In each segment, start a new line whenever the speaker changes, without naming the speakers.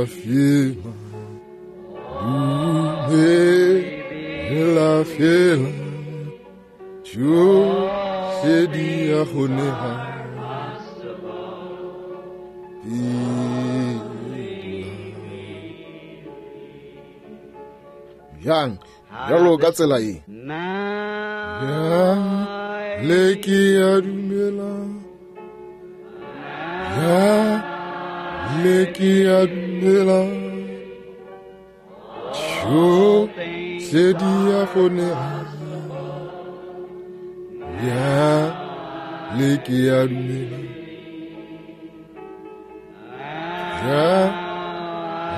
fela dumela fela tšohle di a kgonega bjang bjalo ka tsela ye le ke a dumela ya le ke a dumela tšohle di a kgonega ya le ke a dumela ya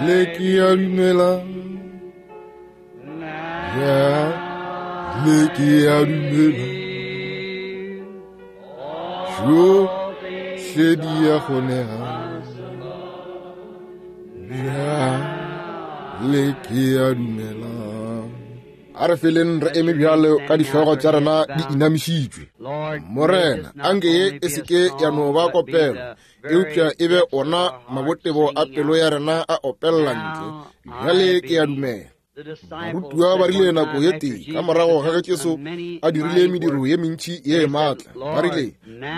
le ke a dumela ya le ke a dumela tšohle di a kgonega ya le ke a dumela a re feleng re eme bjalo ka dihlogo tša rena di inamišitšwe morena anke ye e se ke ya no ba kopelo eupša e be ona mabotebo a pelo ya rena a opelela ntle bjale ke a dumela barutiwa ba rile nako ye tee ka morago ga ge jesu a dirile mediro ye mentši ye e maatla ba rile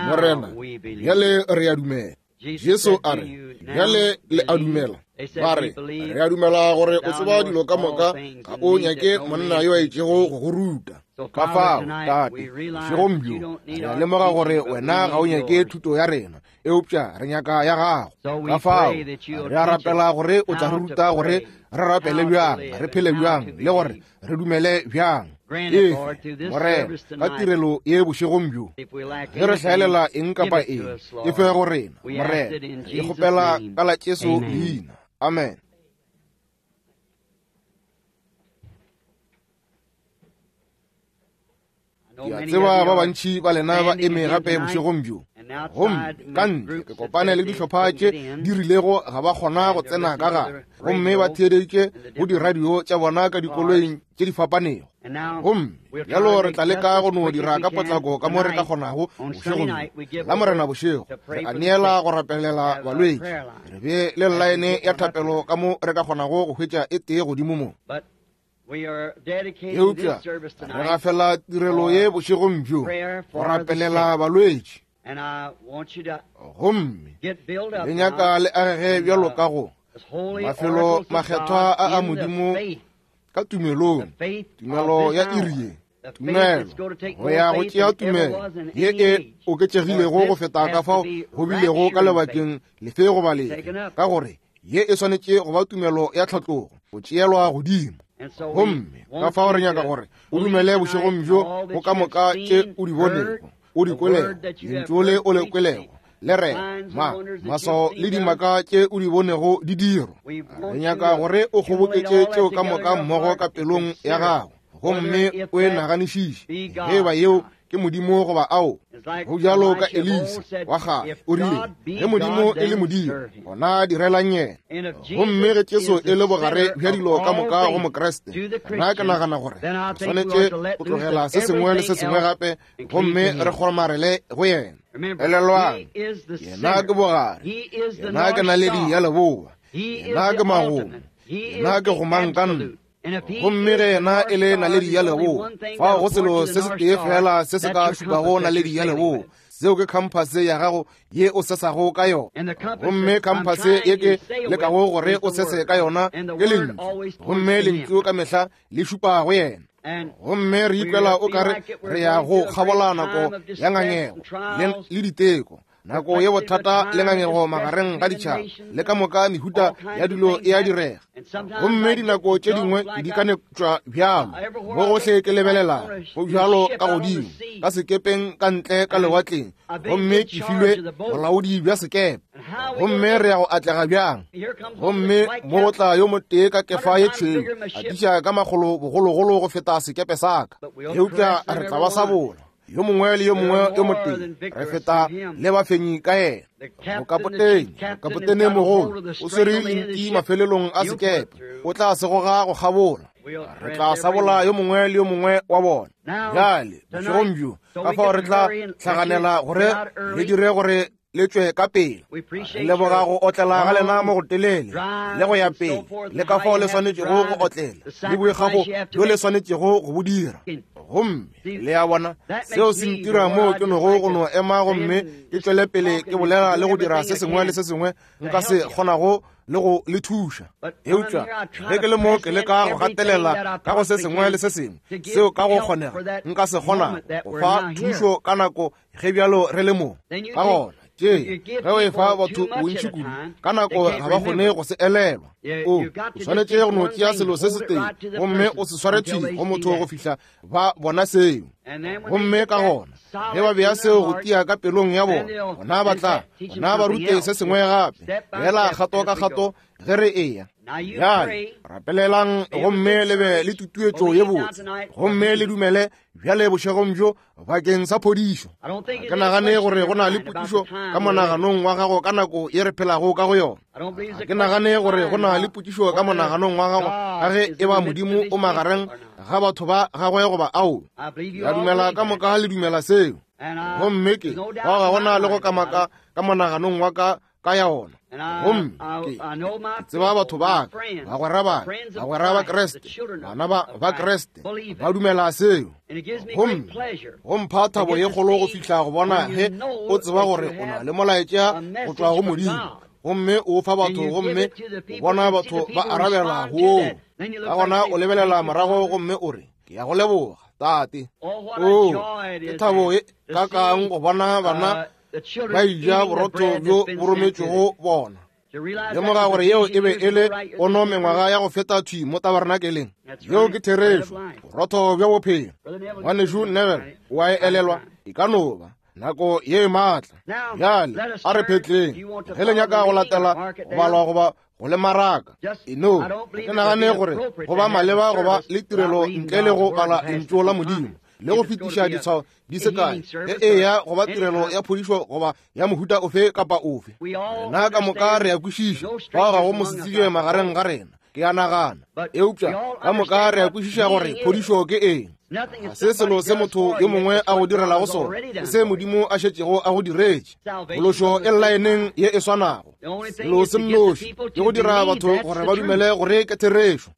morena bjale re a dumela jesu a re bjale le a dumela ba re re a dumela gore o tseba dilo ka moka ga o nyake monna yo a itšego go go ruta ka fao tate bošegong bjo re a lemoga gore wena ga o nyake thuto ya rena eupša re nyaka ya gago ka fao re a rapela gore o tla re ruta gore re rapele bjang re phele bjang le gore re dumele bjang efe morena ka tirelo ye bošegong bjo ge re hlaelela eng kapa eng e fe go rena morena e kgopela ka la jesu leina amen Ke a tseba ba bantši ba lena ba eme gape bošegong bjo gomme ka ntle ke kopane le dihlopha tše di rilego ga ba kgona go tsena ka gare gomme ba theeditše go diradio tša bona ka dikoloing tše di fapanego gomme bjalo re tla leka go no dira ka potlako ka mo re ka kgonago bošegong bjo la morena bošego re a neela go rapelela balwetši re be le llaene ya thapelo ka mo re ka kgonago go hwetša e tee godimo mo eupša re gafela tirelo ye bošegong bjo go rapelela balwetši gomme le nyaka le agege bjalo ka go mafelo makgethwa a a modimo ka tumelong tumelo ya iri ye tumelo go ya go tšea tumelo ye e oketšegilego go feta ka fao go bilego ka lebakeng lefe goba lefe ka gore ye e swanetše go ba tumelo ya tlhatlogo go tšeelwa godimo gomme ka fao re nyaka gore o dumele bošegong bjo go ka moka tše o di bonego o di kwelego lentšu le o le kwelego le re ma maswao le dimaka tše o di bonego di dirwa re nyaka gore o kgoboketše tšeo ka moka mmogo ka pelong ya gago gomme o e naganišiše ge e ba yeo ke modimo goba ao go bjalo ka elisa wa gage o rile ge modimo e le modimo gona direlang yena gomme ge jesu e le bogare bja dilo ka moka go mokriste nna ke nagana gore re swanetše go tlogela se sengwe le se sengwe gape gomme re kgomarele go yena elelwang yena ke bogare yena ke naledi ya leboa yena ke magomo yena ke gomang ka nna gomme ge yena e le naledi ya leboa fao go selo se se tee fela se se ka šupago naledi ya leboa seo ke khamphase ya gago ye o sesago ka yona gomme khamphase ye ke lekago gore o sese ka yona ke lentšu gomme lentšu ka mehla le šupa go yena gomme re ikwela o kare re ya go kgabola nako ya ngangego le diteko nako ye bothata le ngangego magareng ga ditšhaba le ka moka mehuta ya dilo e a direga gomme dinako tše dingwe di ka netšwa bjalo mo gohle ke lebelela go bjalo ka godimo ka sekepeng ka ntle ka lewatleng gomme ke filwe bolaodi bja sekepe gomme re ya go atlega bjang gomme mo go tla yo motee ka kefa ye tšhweu a tiša ka makgolo bogologolo go feta sekepe sa ka eupša re tla ba sa bola yo mongwe le yo mongwe yo motee re feta le bafenyi ka yena mokapotene mokapotene mogolo o swere lenti mafelelong a sekepe o tla se goga go kgabola re tla sabola yo mongwe le yo mongwe wa bona bjale bošegong bjo ka fao re tla hlaganela gore re dire gore le tšwe ka pele. Re leboga go otlela ga lena mo go telele le go ya pele, le ka fao le swanetšego go otlela, le boikgafo bjo le swanetšego go bo dira. Gomme le a bona, seo se ntira moo ke nogo go no ema gomme ke tšwele pele ke bolela le go dira se sengwe le se sengwe nka se kgonago le go le thuša. Eupša ge ke le mo ke leka go gatelela ka go se sengwe le se sengwe seo ka go kgonega nka se kgonago go fa thušo ka nako ge bjalo re le mo. Ka gona tše ge o efa batho bontši kudu ka nako ga ba kgone go se elelwa. O swanetše go no tšea selo se setee gomme o se sware thwi go motho go fihla ba bona seo. Gomme ka gona ge ba bea seo go tia ka pelong ya bona, gona ba tla gona ba rute se sengwe gape, fela kgato ka kgato ge re eya. Bjale rapelelang gomme le be le tutuetšo ye botse, gomme le dumele bjale bošegong bjo bakeng sa phodišo. Ga ke nagane gore go na le potšišo ka monaganong wa gago ka nako ye re phelago ka go yona. Ga ke nagane gore go na le potšišo ka monaganong wa gago ka ge e ba Modimo o magareng ga batho ba gagwe goba ao. Ke a dumela ka moka le dumela seo. Gomme ke bao ga gona le go kamaka ka monaganong wa ka ka ya ona. Gomme ke tseba batho ba ka, bagwera ba ka, bagwera ba Kriste, bana ba Kriste, ba dumela seo. Gomme go mpha thabo ye kgolo go fihla go bona ge o tseba gore o na le molaetša go tšwa go Modimo, gomme o fa batho, gomme o bona batho ba arabela go woo. Ka gona o lebelela morago gomme o re, ke ya go leboga, Tate. Oo, ke thabo e kakang go bona bana ba eja borotho bjo bo rometšwego bona. Lemoga gore yeo e be e le pono mengwaga ya go feta thwi mo tabernakeleng. Yeo ke therešo, borotho bja bophelo. Ngwanešu Neville o a e elelwa, e ka no ba nako ye maatla. Bjale a re phetleng, ge le nyaka go latela go balwa goba go le maraka. E no, ke nagane gore go ba maleba go ba le tirelo ntle le go bala lentšu la Modimo le go fetiša ditshwao di se kae ge eya go ba tirelo ya phodišo goba ya mohuta ofe kapa ofe. Rena ka moka re a kwešiša, fao ga go mosetsebje magareng ga rena, ke a nagana. Eupša ka moka re a kwešiša gore phodišo ke eng. Ga se selo se motho yo mongwe a go direlago sona, ke se Modimo a šetšego a go diretše. Phološo e llaeneng ye e swanago. Selo se nnoši ke go dira batho gore ba dumele gore ke therešo.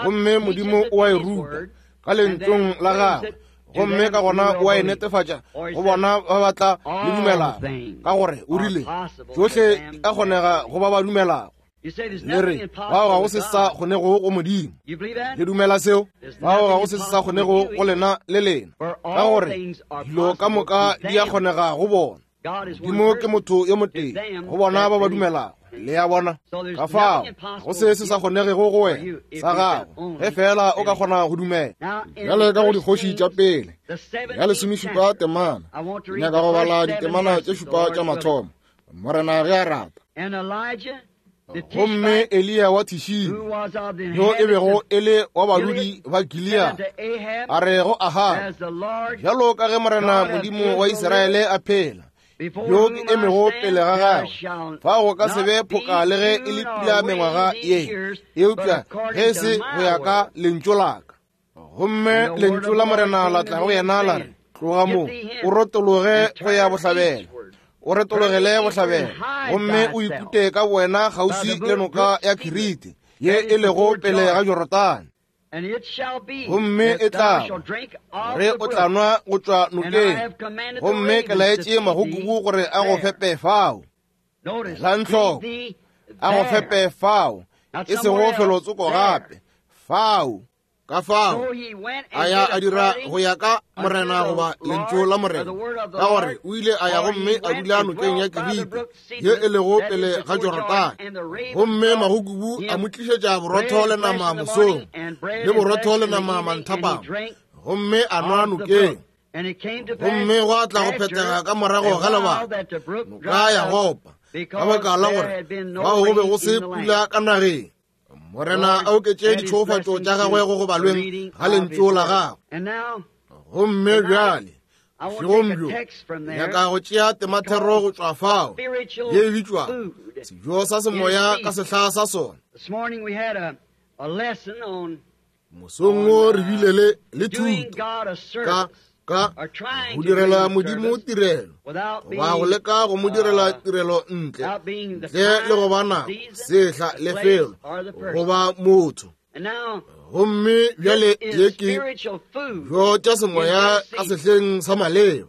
Gomme Modimo o a e ruta ka lentšong la gagwe, gomme ka gona o a e netefatša go bona ba ba tla le dumelago, ka gore o rile tšohle di a kgonega go ba ba dumelago. Le re bao ga go se sa kgonego go Modimo. Le dumela seo? Bao ga go se sa kgonego go lena le lena, ka gore dilo ka moka di a kgonega go bona. Modimo ke motho yo motee go bona ba ba dumelago. Le a bona? Ka fao go se se sa kgonegego go wena sa gago, ge fela o ka kgona go dumela. Bjale ka go dikgoši tša pele ya lesomešupa temana, ke nyaka go bala ditemana tše šupa tša mathomo, Morena ge a rata. Gomme Eliya wa Tishibe, yo e bego e le wa badudi ba Gilead, a re go Ahaba, bjalo ka ge Morena Modimo wa Israele a phela, yo ke emego pele ga gagwe, fa go ka se be phoka le ge e le pula mengwaga ye, eupša ge e se go ya ka lentšu la ka. Gomme lentšu la Morena la tla go yena la re, tloga mo, o retologe go ya bohlabela, o retologele bohlabela, gomme o ikute ka wena kgauswi le noka ya Kirite, ye e lego pele ga Jorodane. Gomme e tla gore o tla nwa go tšwa nokeng, gomme ke laetše magokubu gore a go fepe fao. Elang hloko, a go fepe fao, e sego felotsoko gape, fao. Ka fao a ya a dira go ya ka Morena goba lentšu la Morena, ka gore o ile a ya gomme a dula nokeng ya Kirite ye e lego pele ga Jorodane. Gomme magokubu a mo tlišetša borotho le nama mosong, le borotho le nama manthapama, gomme a nwa nokeng. Gomme gwa tla go phethega ka morago ga lebaka, noka ya gopa, ka baka la gore fao go be go se pula ka nageng. Morena a oketše ditšhofatšo tša gagwe go go balweng ga lentšu la gagwe. Gomme bjale bošegong bjo nyaka go tšea temathero go tšwa fao ye e bitšwa sejo sa semoya ka sehla sa sona. Mosong wo re bile le thuto ka Ka go direla Modimo tirelo, goba go leka go mo direla tirelo ntle, ntle le go ba nako, sehla, lefelo, goba motho. Gomme bjale ye ke dijo tša semoya ka sehleng sa maleba.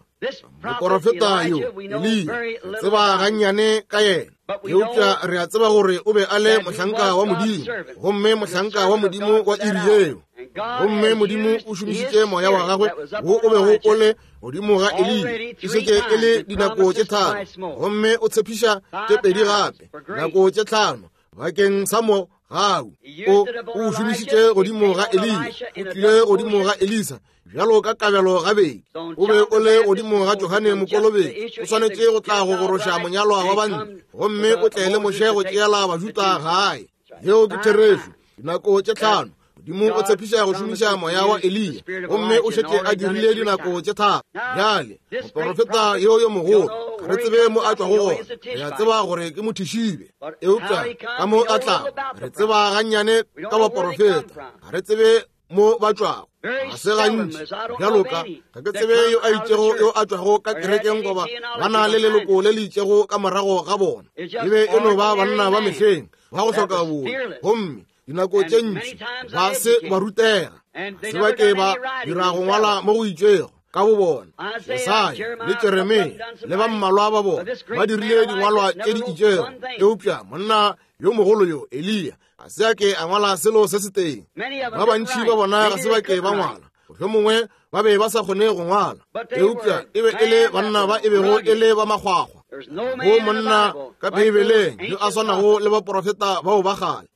Moporofeta yo, Eliya, re tseba gannyane ka yena, eupša re a tseba gore o be a le mohlanka wa Modimo, gomme mohlanka wa Modimo wa iri yeo. Gomme Modimo o šomišitše moya wa gagwe wo o bego o le godimo ga Eliya, e šetše e le dinako tše tharo, gomme o tshepiša tše pedi gape, nako tše tlhano, bakeng sa mogau. O o šomišitše godimo ga Eliya, o tlile godimo ga Elisa bjalo ka kabelo gabedi, o be o le godimo ga Johane Mokolobetši, o swanetše go tla go goroša monyalwa wa bantle, gomme o tle le Moshe go tšeela Bajuda gae. Yeo ke therešo. Dinako tše tlhano Modimo o tshepiša go šomiša moya wa Eliya, gomme o šetše a dirile dinako tše tharo. Bjale, moporofeta yo yo mogolo, ga re tsebe mo a tšwago gona, re a tseba gore ke mothišibe, eupša ka mo a tlago, re tseba gannyane ka baporofeta, ga re tsebe mo ba tšwago. Ga se gantši bjalo ka ga ke tsebe yo a itšego yo a tšwago ka kerekeng goba ba na le leloko le le itšego ka morago ga bona. E be e no ba banna ba mehleng ba go hloka boi, gomme dinako tše ntši ba se ba rutega, se ba ke ba dira go ngwala mo go itšego ka bo bona. Jesaya le Jeremia le ba mmalwa ba bona ba dirile dingwalwa tše di itšego, eupša monna yo mogolo yo Eliya ga se a ke a ngwala selo se se teng. Ba bantši ba bona ga se ba ke ba ngwala, mohlomongwe ba be ba sa kgone go ngwala, eupša e be e le banna ba e bego e le ba makgwakgwa. Go monna ka Beibeleng yo a swanago le baporofeta bao ba kgale,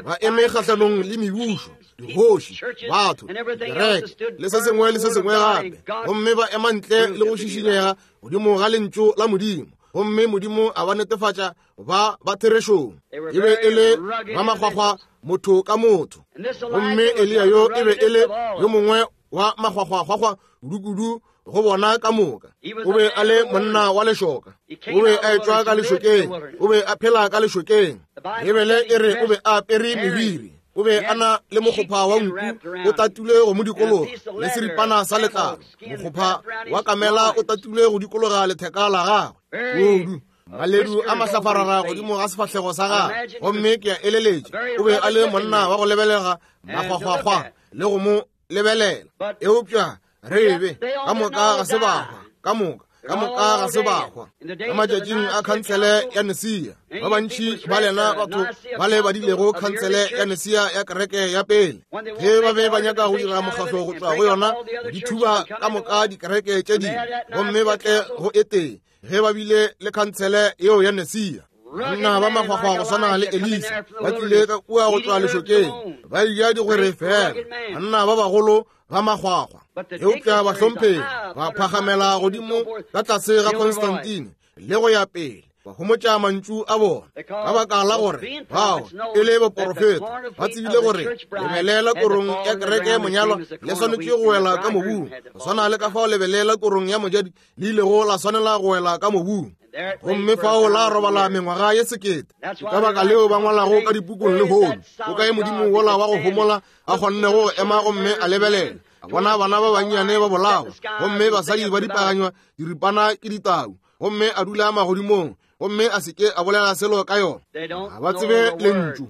ba eme kgahlanong le mebušo, dikgoši, batho, dikereke le se sengwe le se sengwe gape, gomme ba ema ntle le go šišinyega godimo ga lentšu la Modimo, gomme Modimo a ba netefatša ba ba therešong. E be e le ba makgwakgwa motho ka motho, gomme Eliya yo e be e le yo mongwe wa makgwakgwakgwakgwa kudu-kudu go bona ka moka. O be a le monna wa lešoka, o be a etšwa ka lešokeng, o be a phela ka lešokeng. Bibele e re o be a apere meriri, o be a na le mokgopha wa nku o tatile go mo dikologa le seripana sa letlalo, mokgopha wa kamela o tatile go dikologa letheka la gagwe kudu, maledu a mahlafarara godimo ga sefahlego sa gagwe. Gomme ke a eleletša o be a le monna wa go lebelega makgwakgwakgwa le go mo lebelela, eupša re be ka moka ga se ba hwa, ka moka ka moka ga se ba hwa. Ka matšatšing a khansele ya Nicaea, ba bantši ba lena batho ba le badilego khansele ya Nicaea ya kereke ya pele, ge ba be ba nyaka go dira mokgahlo go tšwa go yona, di thuba ka moka dikereke tše dingwe gomme ba tle go e tee, ge ba bile le khansele yeo ya Nicaea. Banna ba makgwakgwa go swana le Elisa ba tlile ka kua go tšwa lešokeng, ba eja digwere fela, banna ba bagolo ba makgwakgwa. Eupša bahlomphegi ba phagamela godimo ka tlase ga Constantine le go ya pele, ba homotša mantšu a bona, ka baka la gore bao e le baporofeta ba tsebile gore lebele la korong ya kereke monyalwa le swanetše go wela ka mobung, go swana le ka fao lebele la korong ya mojadi le ilego la swanela go wela ka mobung, gomme fao la robala mengwaga ye sekete. Ke ka baka leo ba ngwalago ka dipukung lehono, o kae Modimo wola wa go homola a kgonnego go ema gomme a lebelela, a bona bana ba bannyane ba bolawa, gomme basadi ba dipaganywa diripana ke ditau, gomme a dula magodimong, gomme a se ke a bolela selo ka yona. Ga ba tsebe lentšu.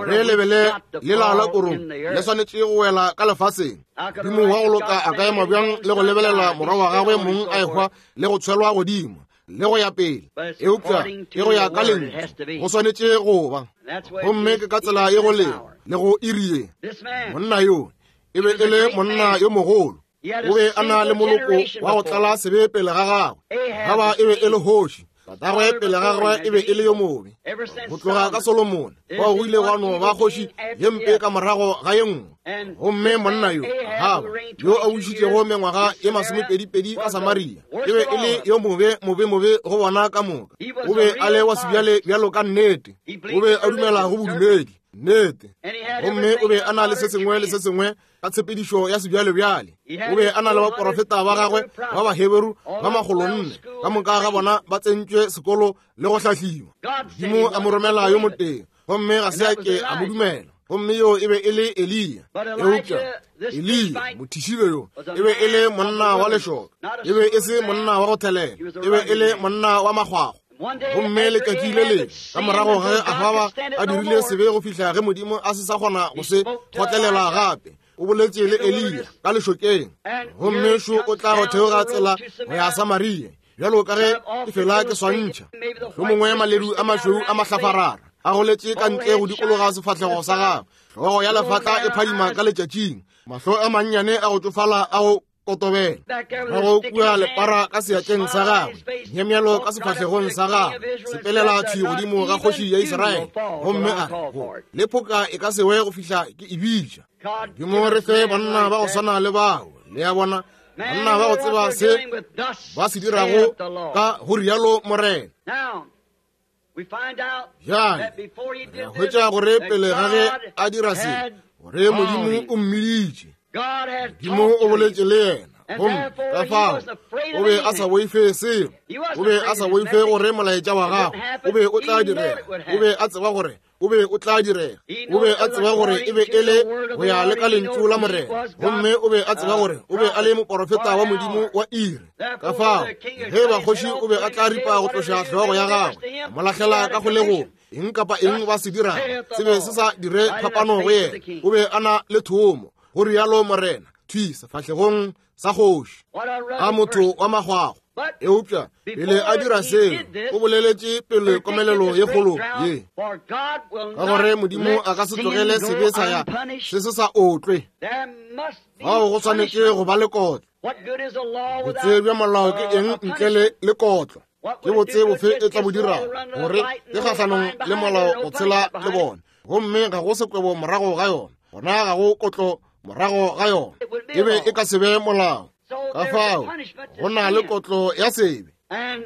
Re lebele lela la korong le swanetše go wela ka lefaseng. Modimo wa go loka a ka ema bjang le go lebelela morwa wa gagwe mong a ehwa le go tshwelwa godimo le go ya pele? Eupša ke go ya ka lentšu, go swanetše go ba. Gomme ke ka tsela ye go lego le go iri ye. Monna yo e be e le monna yo mogolo, o be a na le moloko wa go tlala sebe pele ga gagwe. Gaba e be e le kgoši, tatagwe pele ga gagwe e be e le yo mobe. Go tloga ka Solomone bao go ile gwa no ba kgoši ye mpe ka morago ga ye nngwe. Gomme monna yo Ahaba yo a bušitšego mengwaga ye masomepedipedi ka Samaria e be e le yo mobe mobe mobe go bona ka moka. O be a le wa sebjale bjalo ka nnete, o be a dumela go bodumedi nnete, gomme o be a na le se sengwe le se sengwe ka tshepedišo ya sebjalebjale. O be a na le baporofeta ba gagwe ba Baheberu ba makgolonne, ka moka ga bona ba tsentšwe sekolo le go hlahliwa. Modimo a mo romela yo motee, gomme ga se a ke a mo dumela. Gomme yo e be e le Eliya. Eupša Eliya, mothišibe yo, e be e le monna wa lešoka. E be e se monna wa go thelela. E be e le monna wa makgwakgwa. Gomme letšatši le lengwe, ka morago ge Ahaba a dirile sebe go fihla ge Modimo a se sa kgona go se kgotlelela gape, o boletše le Eliya ka lešokeng. Gomme šo o tla go theoga tsela go ya Samaria, bjalo ka ge ke fela ke swantšha. Mohlomongwe maledu a mašweu a mahlafarara a goletše ka ntle go dikologa sefahlego sa gagwe, hlogo ya lefatla e phadima ka letšatšing, mahlo a mannyane a go tšofala a go kotobela, morago kua lepara ka seatleng sa gagwe, myemyelo ka sefahlegong sa gagwe, sepelela thwi godimo ga kgoši ya Israele, gomme a re, le phoka e ka se we go fihla ke e bitša. Modimo re fe banna ba go swana le bao, le a bona, banna ba go tseba se ba se dirago ka go rialo Morena. Bjale re hwetša gore pele ga ge a dira se, gore Modimo o mmiditše. Modimo o boletše le yena, gomme ka fao o be a sa boife selo. O be a sa boife gore molaetša wa gagwe o be o tla direga. O be a tseba gore o be o tla direga. O be a tseba gore e be e le go ya le ka lentšu la Morena, gomme o be a tseba gore o be a le moporofeta wa Modimo wa iri. Ka fao ge ba kgoši o be a tla ripa go tloša hlogo ya gagwe, a mo lahlela ka kgolegong, eng kapa eng ba se dirago se be se sa dire phapano go yena. O be a na le thomo, go rialo Morena, thwi sefahlegong sa kgoši, a motho wa makgwakgwa. Eupša pele a dira seo, o boleletše pele komelelo ye kgolo ye, ka gore Modimo a ka se tlogele sebe sa ya se se sa otlwe. Fao go swanetše go ba le kotlo. Botse bja molao ke eng ntle le le kotlo? Ke botse bofe e tla bo dirago gore ke kgahlanong le molao go tshela le bona, gomme ga go sekwebo morago ga yona, gona ga go kotlo morago ga yona, e be e ka se be molao. Ka fao go na le kotlo ya sebe.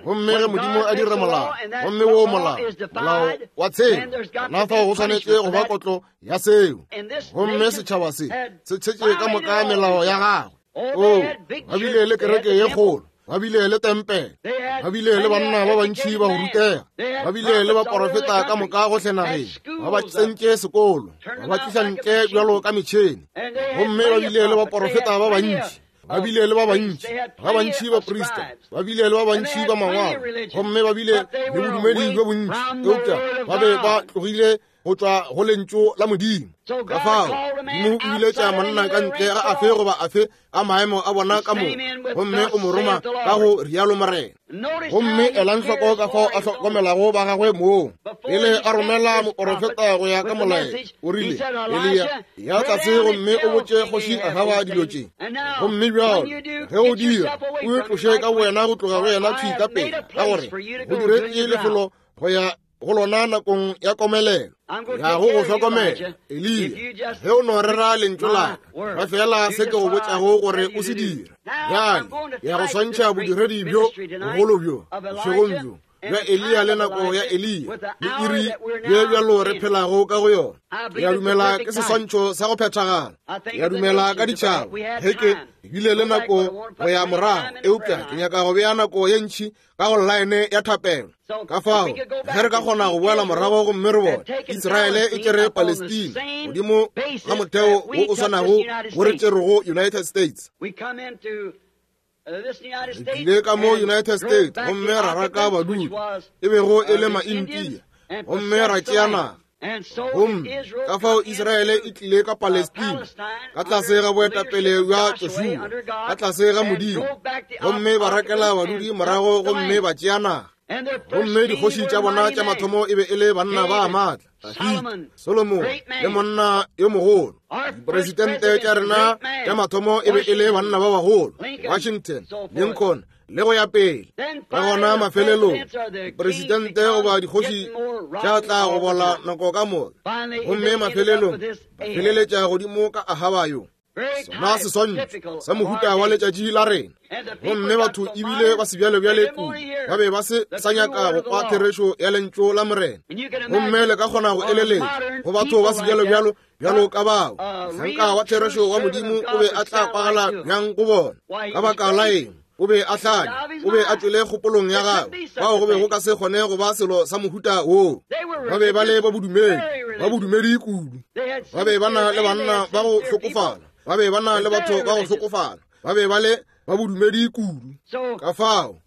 Gomme ge Modimo a dira molao, gomme wo molao, molao wa tshelo, gona fao go swanetše go ba kotlo ya seo. Gomme setšhaba se se tshetše ka moka melao ya gagwe. O, ba bile le kereke ye kgolo, ba bile le tempele, ba bile le banna ba bantši ba go rutega, ba bile le baporofeta ka moka gohle nageng, ba ba tsentše sekolo, ba ba tliša ntle bjalo ka metšhene, gomme ba bile le baporofeta ba bantši, ba bile le ba bantši, ba bantši baprista, ba bile le ba bantši ba mangwalo, gomme ba bile le bodumedi bjo bontši, eupša ba be ba tlogile go tšwa go lentšu la Modimo. Ka fao Modimo o biletša monna ka ntle ga afe goba afe a maemo a bona ka moka, gomme o mo roma ka go rialo Morena. Gomme elang hloko ka fao a hlokomelago ba gagwe moo. Pele a romela moporofeta go ya ka molaetša, o rile, Eliya, ya tlase gomme o botše kgoši Ahaba dilo tše. Gomme bjalo ge o dira, o itloše ka wena go tloga go yena thwi ka pela, ka gore go diretše lefelo go ya go lona nakong ya komelelo. Ya go go hlokomela, Eliya, ge o no rera lentšu la ka, ba fela se ke go botšago gore o se dire. Bjale ya go swantšha bodiredi bjo bogolo bjo bošegong bjo bja Eliya le nako ya Eliya le iri ye bjalo re phelago ka go yona. Ke a dumela ke seswantšho sa go phethagala. Ke a dumela ka ditšhaba ge ke bile le nako go ya morago, eupša ke nyaka go bea nako ye ntši ka go llaene ya thapelo. Ka fao ge re ka kgona go boela morago gomme re bone Israele e tšere Palestina godimo ga motheo wo o swanago wo re tšerego United States. Re tlile ka mo United States gomme ra raka badudi e bego e le Maintia gomme ra tšea naga. Gomme ka fao Israele e tlile ka Palestina ka tlase ga boetapele bja Joshua ka tlase ga Modimo, gomme ba rakela badudi morago gomme ba tšea naga. Gomme dikgoši tša bona tša mathomo e be e le banna ba maatla, Dafida, Solomon le monna yo mogolo. Diporesidente tša rena tša mathomo e be e le banna ba bagolo, Washington, Lincoln le go ya pele. Ka gona mafelelong diporesidente goba dikgoši tša tla go bola nako ka moka, gomme mafelelong ba feleletša godimo ka Ahaba yo. Sona seswantšho sa mohuta wa letšatši la rena. Gomme batho ebile ba sebjalebjale kudu, ba be ba se sa nyaka go kwa therešo ya lentšu la Morena. Gomme le ka kgona go eleletša go batho ba sebjalebjalo bjalo ka bao, mohlanka wa therešo wa Modimo o be a tla kwagala bjang go bona? Ka baka la eng? O be a hlanya, o be a tšwele kgopolong ya gagwe, fao go be go ka se kgone go ba selo sa mohuta woo. Ba be ba le ba bodumedi, ba bodumedi kudu. Ba be ba na le banna ba go hlokofala, ba be ba na le batho ba go hlokofala, ba be ba le ba bodumedi kudu. Ka fao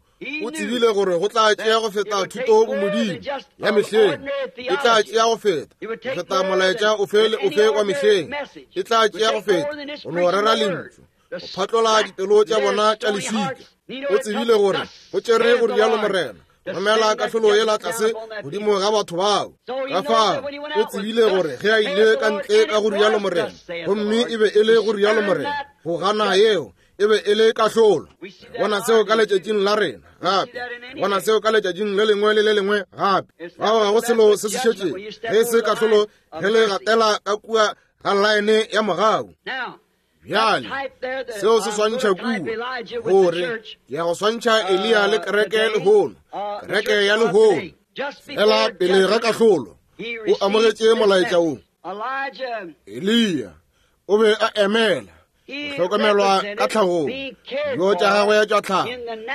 o tsebile gore go tla tšea go feta thuto bomodimo ya mehleng, e tla tšea go feta go feta molaetša ofe le ofe wa mehleng, e tla tšea go feta go no rera lentšu, go phatlola dipelo tša bona tša leswika. O tsebile gore go tšere go rialo Morena romela kahlolo yela tlase godimo ga batho bao. Ka fao o tsebile gore ge a ile ka ntle ka go rialo Morena, gomme e be e le go rialo Morena, go gana yeo e be e le kahlolo. Bona seo ka letšatšing la rena gape, bona seo ka letšatšing le lengwe le le lengwe gape. Fao ga go selo se se šetšego ge se kahlolo ge le gatela ka kua ga laene ya mogau. Bjale seo se swantšha kua gore ke ya go swantšha Eliya le kereke lehono, kereke ya lehono. Fela pele ga kahlolo o amogetše molaetša wo. Eliya o be a emela go hlokomelwa ka tlhagong, dijo tša gagwe tša tlhago,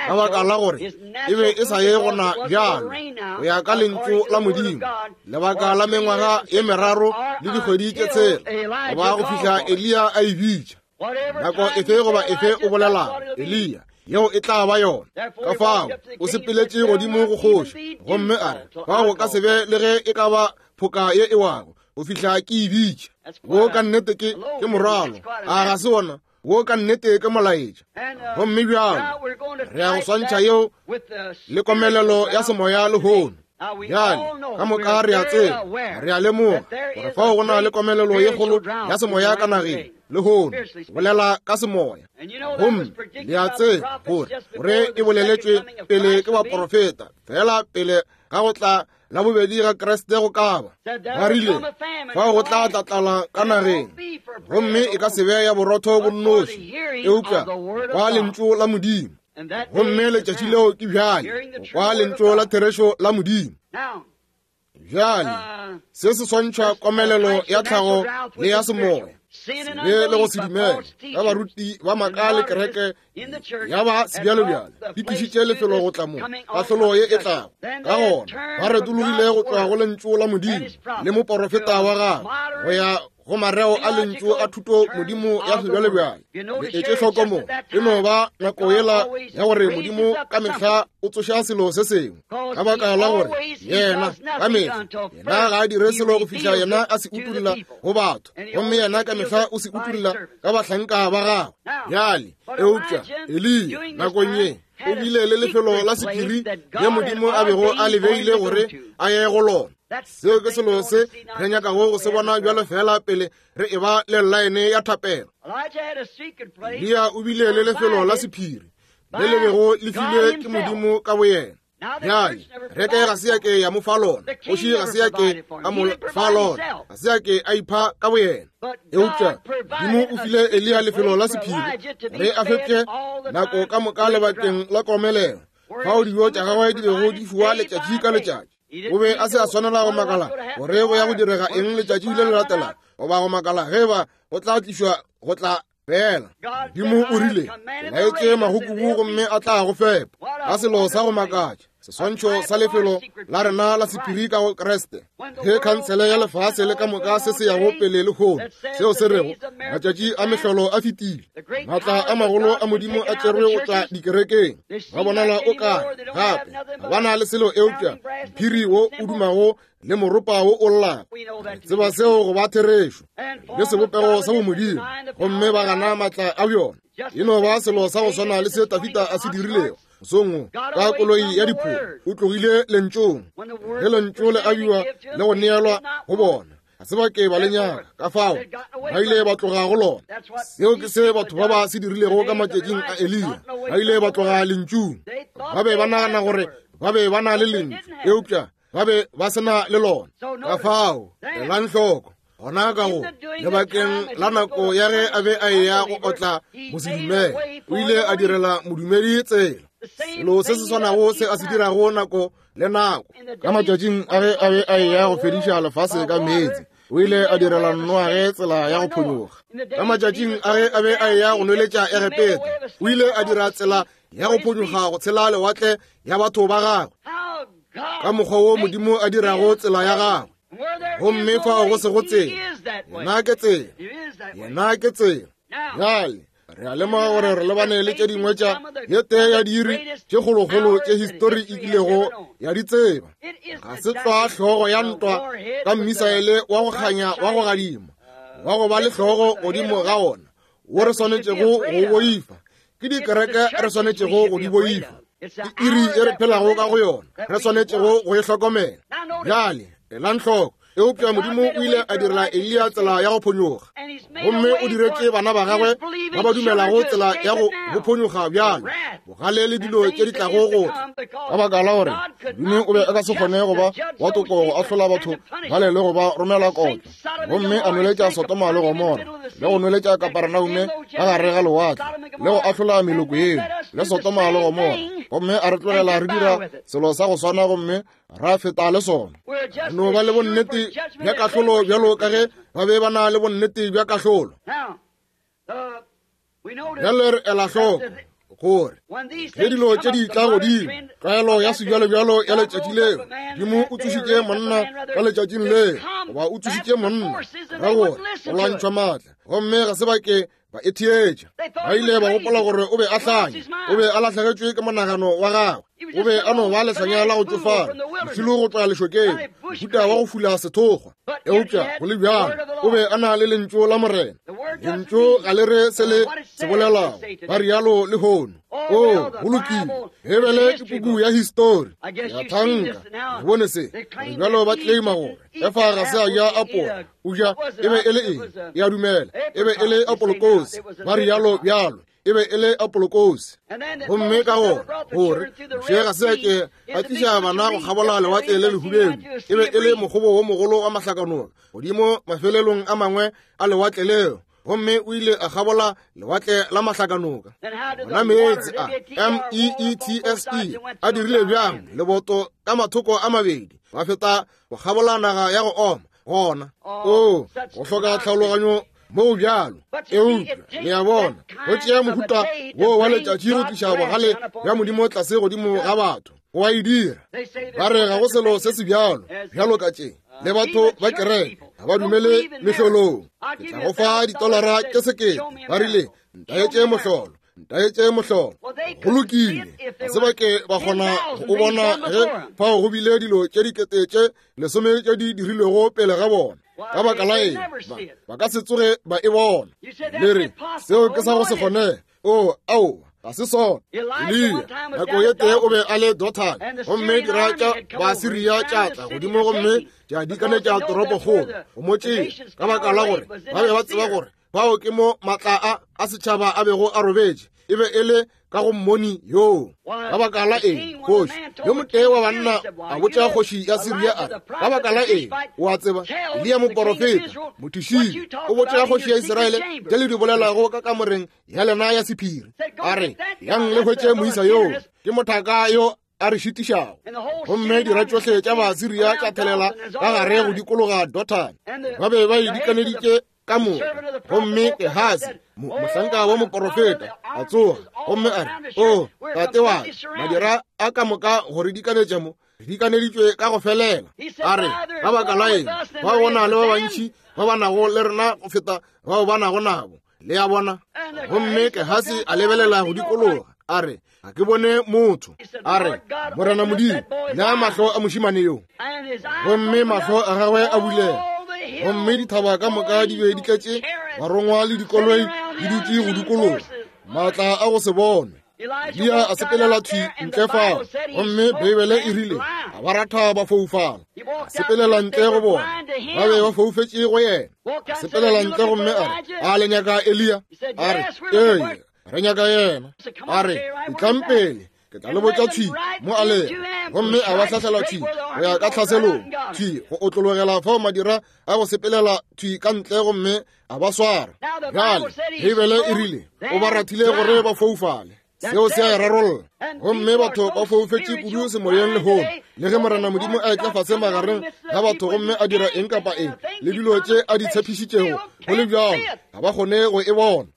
ka baka la gore e be e sa ye gona bjalo go ya ka lentšu la Modimo, lebaka la mengwaga ye meraro le dikgwedi tše tshela, goba go fihla Eliya a e bitša. Nako efe goba efe o bolelago, Eliya, yeo e tla ba yona. Ka fao o sepeletše godimo go kgoši gomme a re, fao go ka se be le ge e ka ba phoka ye e wago go fihla ke e bitša. Wo ka nnete ke ke morwalo, a ga se wona? Wo ka nnete ke molaetša. Gomme bjalo re ya go swantšha yeo le komelelo ya semoya lehono. Bjale ka moka re a tseba, re a lemoga gore fao go na le komelelo ye kgolo ya semoya ka nageng lehono, bolela ka semoya. Gomme le a tseba gore gore e boleletšwe pele ke baporofeta fela pele ga go tla la bobedi ga Kriste go ka ba. Ba rile fao go tla tla tlala ka nageng, gomme e ka se be ya borotho bo nnoši, eupša kwa lentšu la Modimo. Gomme letšatši leo ke bjale, kwa lentšu la therešo la Modimo. Bjale se se swantšha komelelo ya tlhago le ya semoya, sebe le go se dumele ga baruti ba maaka le kereke ya ba sebjalebjale di tlišitše lefelo go tla mo kahlolo ye e tlago. Ka gona ba retologile go tšwa go lentšu la Modimo le moporofeta wa gagwe go ya go mareo a lentšu a thuto Modimo ya sebjalebjale. Le etše hloko mo, e no ba nako yela ya gore Modimo ka mehla o tsoša selo se sengwe, ka baka la gore yena ka mehla yena ga a dire selo go fihla yena a se utolla go batho, gomme yena ka mehla o se utolla ka bahlanka ba gagwe. Bjale eupša Eliya nakong ye o bile le lefelo la sephiri le Modimo a bego a le beile gore a ye go lona. Seo ke selo se re nyakago go se bona bjalo fela pele re e ba le llaene ya thapelo. Eliya o bile le lefelo la sephiri le le bego le filwe ke Modimo ka boyena. Bjale reke ga se ya ke ya mo fa lona, kgoši ga se ya ke a mo fa lona, ga se ya ke a ipha ka boyena. Eupša Modimo o file Eliya lefelo la sephiri gore a fepše nako ka moka lebakeng la komelelo, fao dijo tša gagwe di bego di fiwa letšatši ka letšatši. O be a se a swanela go makala gore go ya go direga eng letšatši le le latelago, goba go makala ge ba go tla tlišwa go tla fela. Modimo o rile, ke laetše magokubu gomme a tla go fepa. Ka selo sa go makatša, seswantšho sa lefelo la rena la sephiri ka go Kriste. Ge khansele ya lefase le ka moka se se yago pele lehono, seo se rego matšatši a mehlolo a fetile, maatla a magolo a Modimo a tšerwe go tšwa dikerekeng, ba bonala o kare gape ga ba na le selo eupša mphiri wo o dumago le moropa wo o llago. Re tseba seo go ba therešo, le sebopego sa bomodimo, gomme ba gana maatla a bjona. E no ba selo sa go swana le se Tafita a se dirilego mosong wo ka koloi ya dipholo. O tlogile lentšong ge lentšu le abiwa le go neelwa go bona, ga se ba ke ba le nyaka, ka fao ba ile ba tloga go lona. Seo ke se batho ba ba se dirilego ka matšatšing a Eliya, ba ile ba tloga lentšung. Ba be ba nagana gore ba be ba na le lentšu, eupša ba be ba se na le lona. Ka fao elang hloko gona ka go lebakeng la nako ya ge a be a eya go otla mosedumele, o ile a direla modumedi tsela. Selo se se swanago se a se dirago nako le nako ka matšatšing a ge a be a eya go fediša lefase ka meetse, o ile a direla Noage tsela ya go phonyokga. Ka matšatšing a ge a be a eya go nweletša Egepeta, o ile a dira tsela ya go phonyokga go tshela lewatle ya batho ba gagwe, ka mokgwa wo Modimo a dirago tsela ya gagwe. Gomme fao go sego tsela, yena ke tsela, yena ke tsela. Bjale re a lemoga gore re lebane le tše dingwe tša ye tee ya diiri tše kgolokgolo tše histori e kilego ya di tseba. Ga se tlwa hlogo ya ntwa ka mmisaele wa go kganya wa go gadima wa go ba le hlogo godimo ga ona wo re swanetšego go boifa. Ke dikereke re swanetšego go di boifa. Ke iri e re phelago ka go yona re swanetšego go e hlokomela. Bjale elang hloko. Eupša Modimo o ile a direla Eliya tsela ya go phonyokga, gomme o diretše bana ba gagwe ba ba dumelago tsela ya go go phonyokga bjalo, bogale le dilo tše di tlago go tla. Ka baka la gore Modimo o be a ka se kgone go ba wa toko go ahlola batho bale le go ba romela kotlo, gomme a nweletša Sodoma le Gomora, le go nweletša Kaperenaume ka gare ga lewatle, le go ahlola meloko yeo le Sodoma le Gomora, gomme a re tlogela re dira selo sa go swana gomme ra feta le sona. Re no ba le bonnete bja kahlolo bjalo ka ge ba be ba na le bonnete bja kahlolo. Bjale re ela hloko gore ge dilo tše di tla godimo, tlwaelo ya sebjalobjalo ya letšatši leo, Modimo o tsošitše monna ka letšatšing leo, goba o tsošitše monna ra gore go lwantšhwa maatla, gomme ga se ba ke ba e theetša. Ba ile ba gopola gore o be a hlanya, o be a lahlegetšwe ke monagano wa gagwe, o be a no ba lehlanya la go tšofala, mošilo go tšwa lešokeng, mohuta wa go fula sethokgwa. Eupša go le bjalo o be a na le lentšu la Morena. Lentšu ga le re se le se bolelago, ba rialo lehono. O, go lokile, Beibele ke puku ya histori. Ya thanka, le bone se. Gore bjalo ba claima gore Efa ga se a ja apola, o ja, e be e le eng? E a dumela, e be e le apolokosi, ba rialo bjalo, e be e le apolokosi. Gomme ka gona gore Moshe ga se a ke a tliša bana go kgabola lewatle le lehubedu, e be e le mokgobo wo mogolo wa mahlakanoka godimo mafelelong a mangwe a lewatle leo, gomme o ile a kgabola lewatle la mahlakanoka. Gona meetse a M-E-E-T-S-E a dirile bjang leboto ka mathoko a mabedi, ba feta go kgabola naga ya go oma gona. O, go hloka tlhaologanyo moo bjalo. Eupša le a bona, go tšea mohuta wo wa letšatši go tliša bogale bja Modimo tlase godimo ga batho. Go a e dira. Ba re ga go selo se se bjalo bjalo ka tše. Le batho ba kereke ga ba dumele mehlolong. Ke tla go fa ditolara tše sekete. Ba rile, ntaetše mohlolo, ntaetše mohlolo. Go lokile, ga se ba ke ba kgona go o bona ge fao go bile dilo tše dikete tše lesome tše di dirilwego pele ga bona. Ka baka la eng? Ba ka se tsoge ba e bona. Le re, seo ke sa go se kgonege. O, aowa, ga se sona. Eliya nako ye tee o be a le Dothane, gomme dira tša Baasiria tša tla godimo gomme tša dikanetša toropokgolo go mo tšea, ka baka la gore ba be ba tseba gore bao ke mo matla a a setšhaba a bego a robetše, e be e le ka go mmoni yoo. Ka baka la eng? Kgoši yo motee wa banna a botša kgoši ya Siria a re, ka baka la eng, o a tseba, Eliya moporofeta mothušile o botša kgoši ya Israele tše le di bolelago ka kamoreng ya lena ya sephiri. A re, yang le hwetše moisa yoo, ke mothaka yo a re šitišago. Gomme dira tšohle tša Basiria tša thelela ka gare go dikologa Dothane. Ba be ba e dikaneditše ka moka. Gomme Gehasi, mohlanka wa moporofeta, a tsoga gomme a re, O tate wa ka, madira a ka moka go re dikanetša mo, re dikaneditšwe ka go felela. A re, ka baka la eng, ba go na le ba bantši ba ba nago le rena go feta bao ba nago nabo. Le a bona? Gomme Gehasi a lebelela go dikologa, a re, ga ke bone motho. A re, Morena Modimo, nea mahlo a mošemane yo. Gomme mahlo a gagwe a bulega, gomme dithaba ka moka di be di tletše barongwa le dikoloi di dutše go dikologa, maatla a go se bonwe. Eliya a sepelela thwi ntle fao, gomme Beibele e rile a ba ratha ba foufala. A sepelela ntle go bona, ba be ba foufetše go yena. A sepelela ntle gomme a re, a le nyaka Eliya? A re, ee, re nyaka yena. A re, etlang pele, ke tla le botša thwi mo a lego. Gomme a ba hlahlela thwi go ya ka tlhaselong, thwi go otlologela fao madira a go sepelela thwi ka ntle, gomme a ba swara. Bjale Beibele e rile o ba rathile gore ba foufale. Seo se a e rarolla. Gomme batho ba foufetše kudu semoyeng lehono, le ge Morena Modimo a etla fase magareng ga batho gomme a dira eng kapa eng le dilo tše a di tshepišitšego, go le bjalo ga ba kgone go e bona.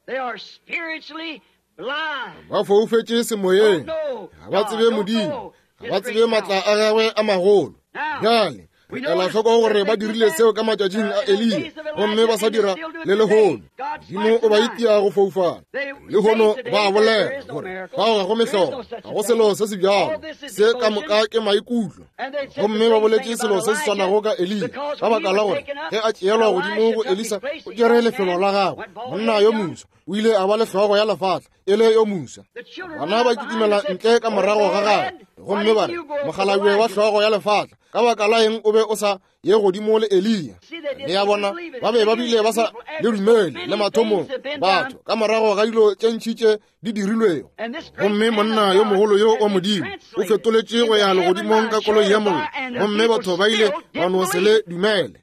Ba foufetše semoyeng, ga ba tsebe Modimo, ga ba tsebe maatla a gagwe a magolo. Bjale re ela hloko gore ba dirile seo ka matšatšing a Eliya, gomme ba sa dira le lehono. Modimo o ba itia go foufala. Lehono ba bolela gore fao ga go mehlolo, ga go selo se se bjalo, se ka moka ke maikutlo. Gomme ba boletše selo se se swanago ka Eliya, ka baka la gore ge a tšeelwa godimo go Elisa, o tšere lefelo la gagwe, monna yo moswa o ile a ba le hlogo ya lefatla e le yo moswa. Bana ba kitimela ntle ka morago ga gagwe gomme ba re, mokgalabje wa hlogo ya lefatla, ka baka la eng o be o sa ye godimo le Eliya? Le ya bona, ba be ba bile ba sa le dumele le mathomong, batho ka morago ga dilo tše ntši tše di dirilwego. Gomme monna yo mogolo yo wa Modimo o fetoletše go ya legodimong ka koloi ya mollo, gomme batho ba ile ba no se le dumele.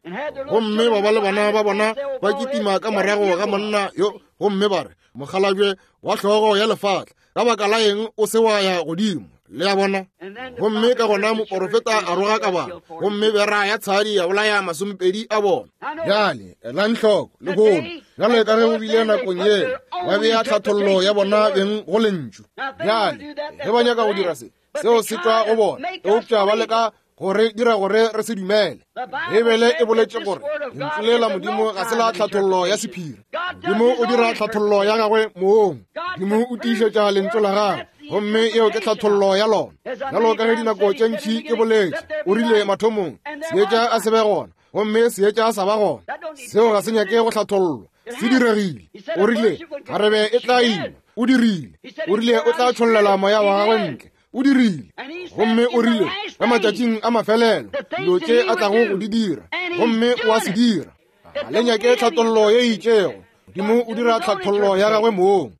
Gomme ba ba le bana ba bona ba kitima ka morago ga monna yo, gomme ba re, mokgalabje wa hlogo ya lefatla, ka baka la eng o se wa ya godimo? Le a bona? Gomme ka gona moporofeta a roga ka bana, gomme bera ya tshadi ya bolaya 20 a bona. Bjale elang hloko lehono, bjalo ka ge go bile nakong yela, ba bea tlhathollo ya bona beng go lentšu. Bjale ge ba nyaka go dira se, seo se tšwa go bona, eupša ba leka gore dira gore re se dumele. Beibele e boletše gore lentšu le la Modimo ga se la tlhathollo ya sephiri. Modimo o dira tlhathollo ya gagwe mong. Modimo o tiišetša lentšu la gagwe, gomme yeo ke tlhathollo ya lona. Bjalo ka ge dinako tše ntši ke boletše, o rile mathomong, seetša a se be gona, gomme seetša sa ba gona. Seo ga se nyake go hlathollwa, se diregile. O rile kgarebe e tla ima, o dirile. O rile o tla tšhollela moya wa gagwe ntle, o dirile. Gomme o rile ka matšatšing a mafelelo dilo tše a tlago go di dira, gomme o a se dira. Ga le nyake tlhathollo ye itšego. Modimo o dira tlhathollo ya gagwe mong.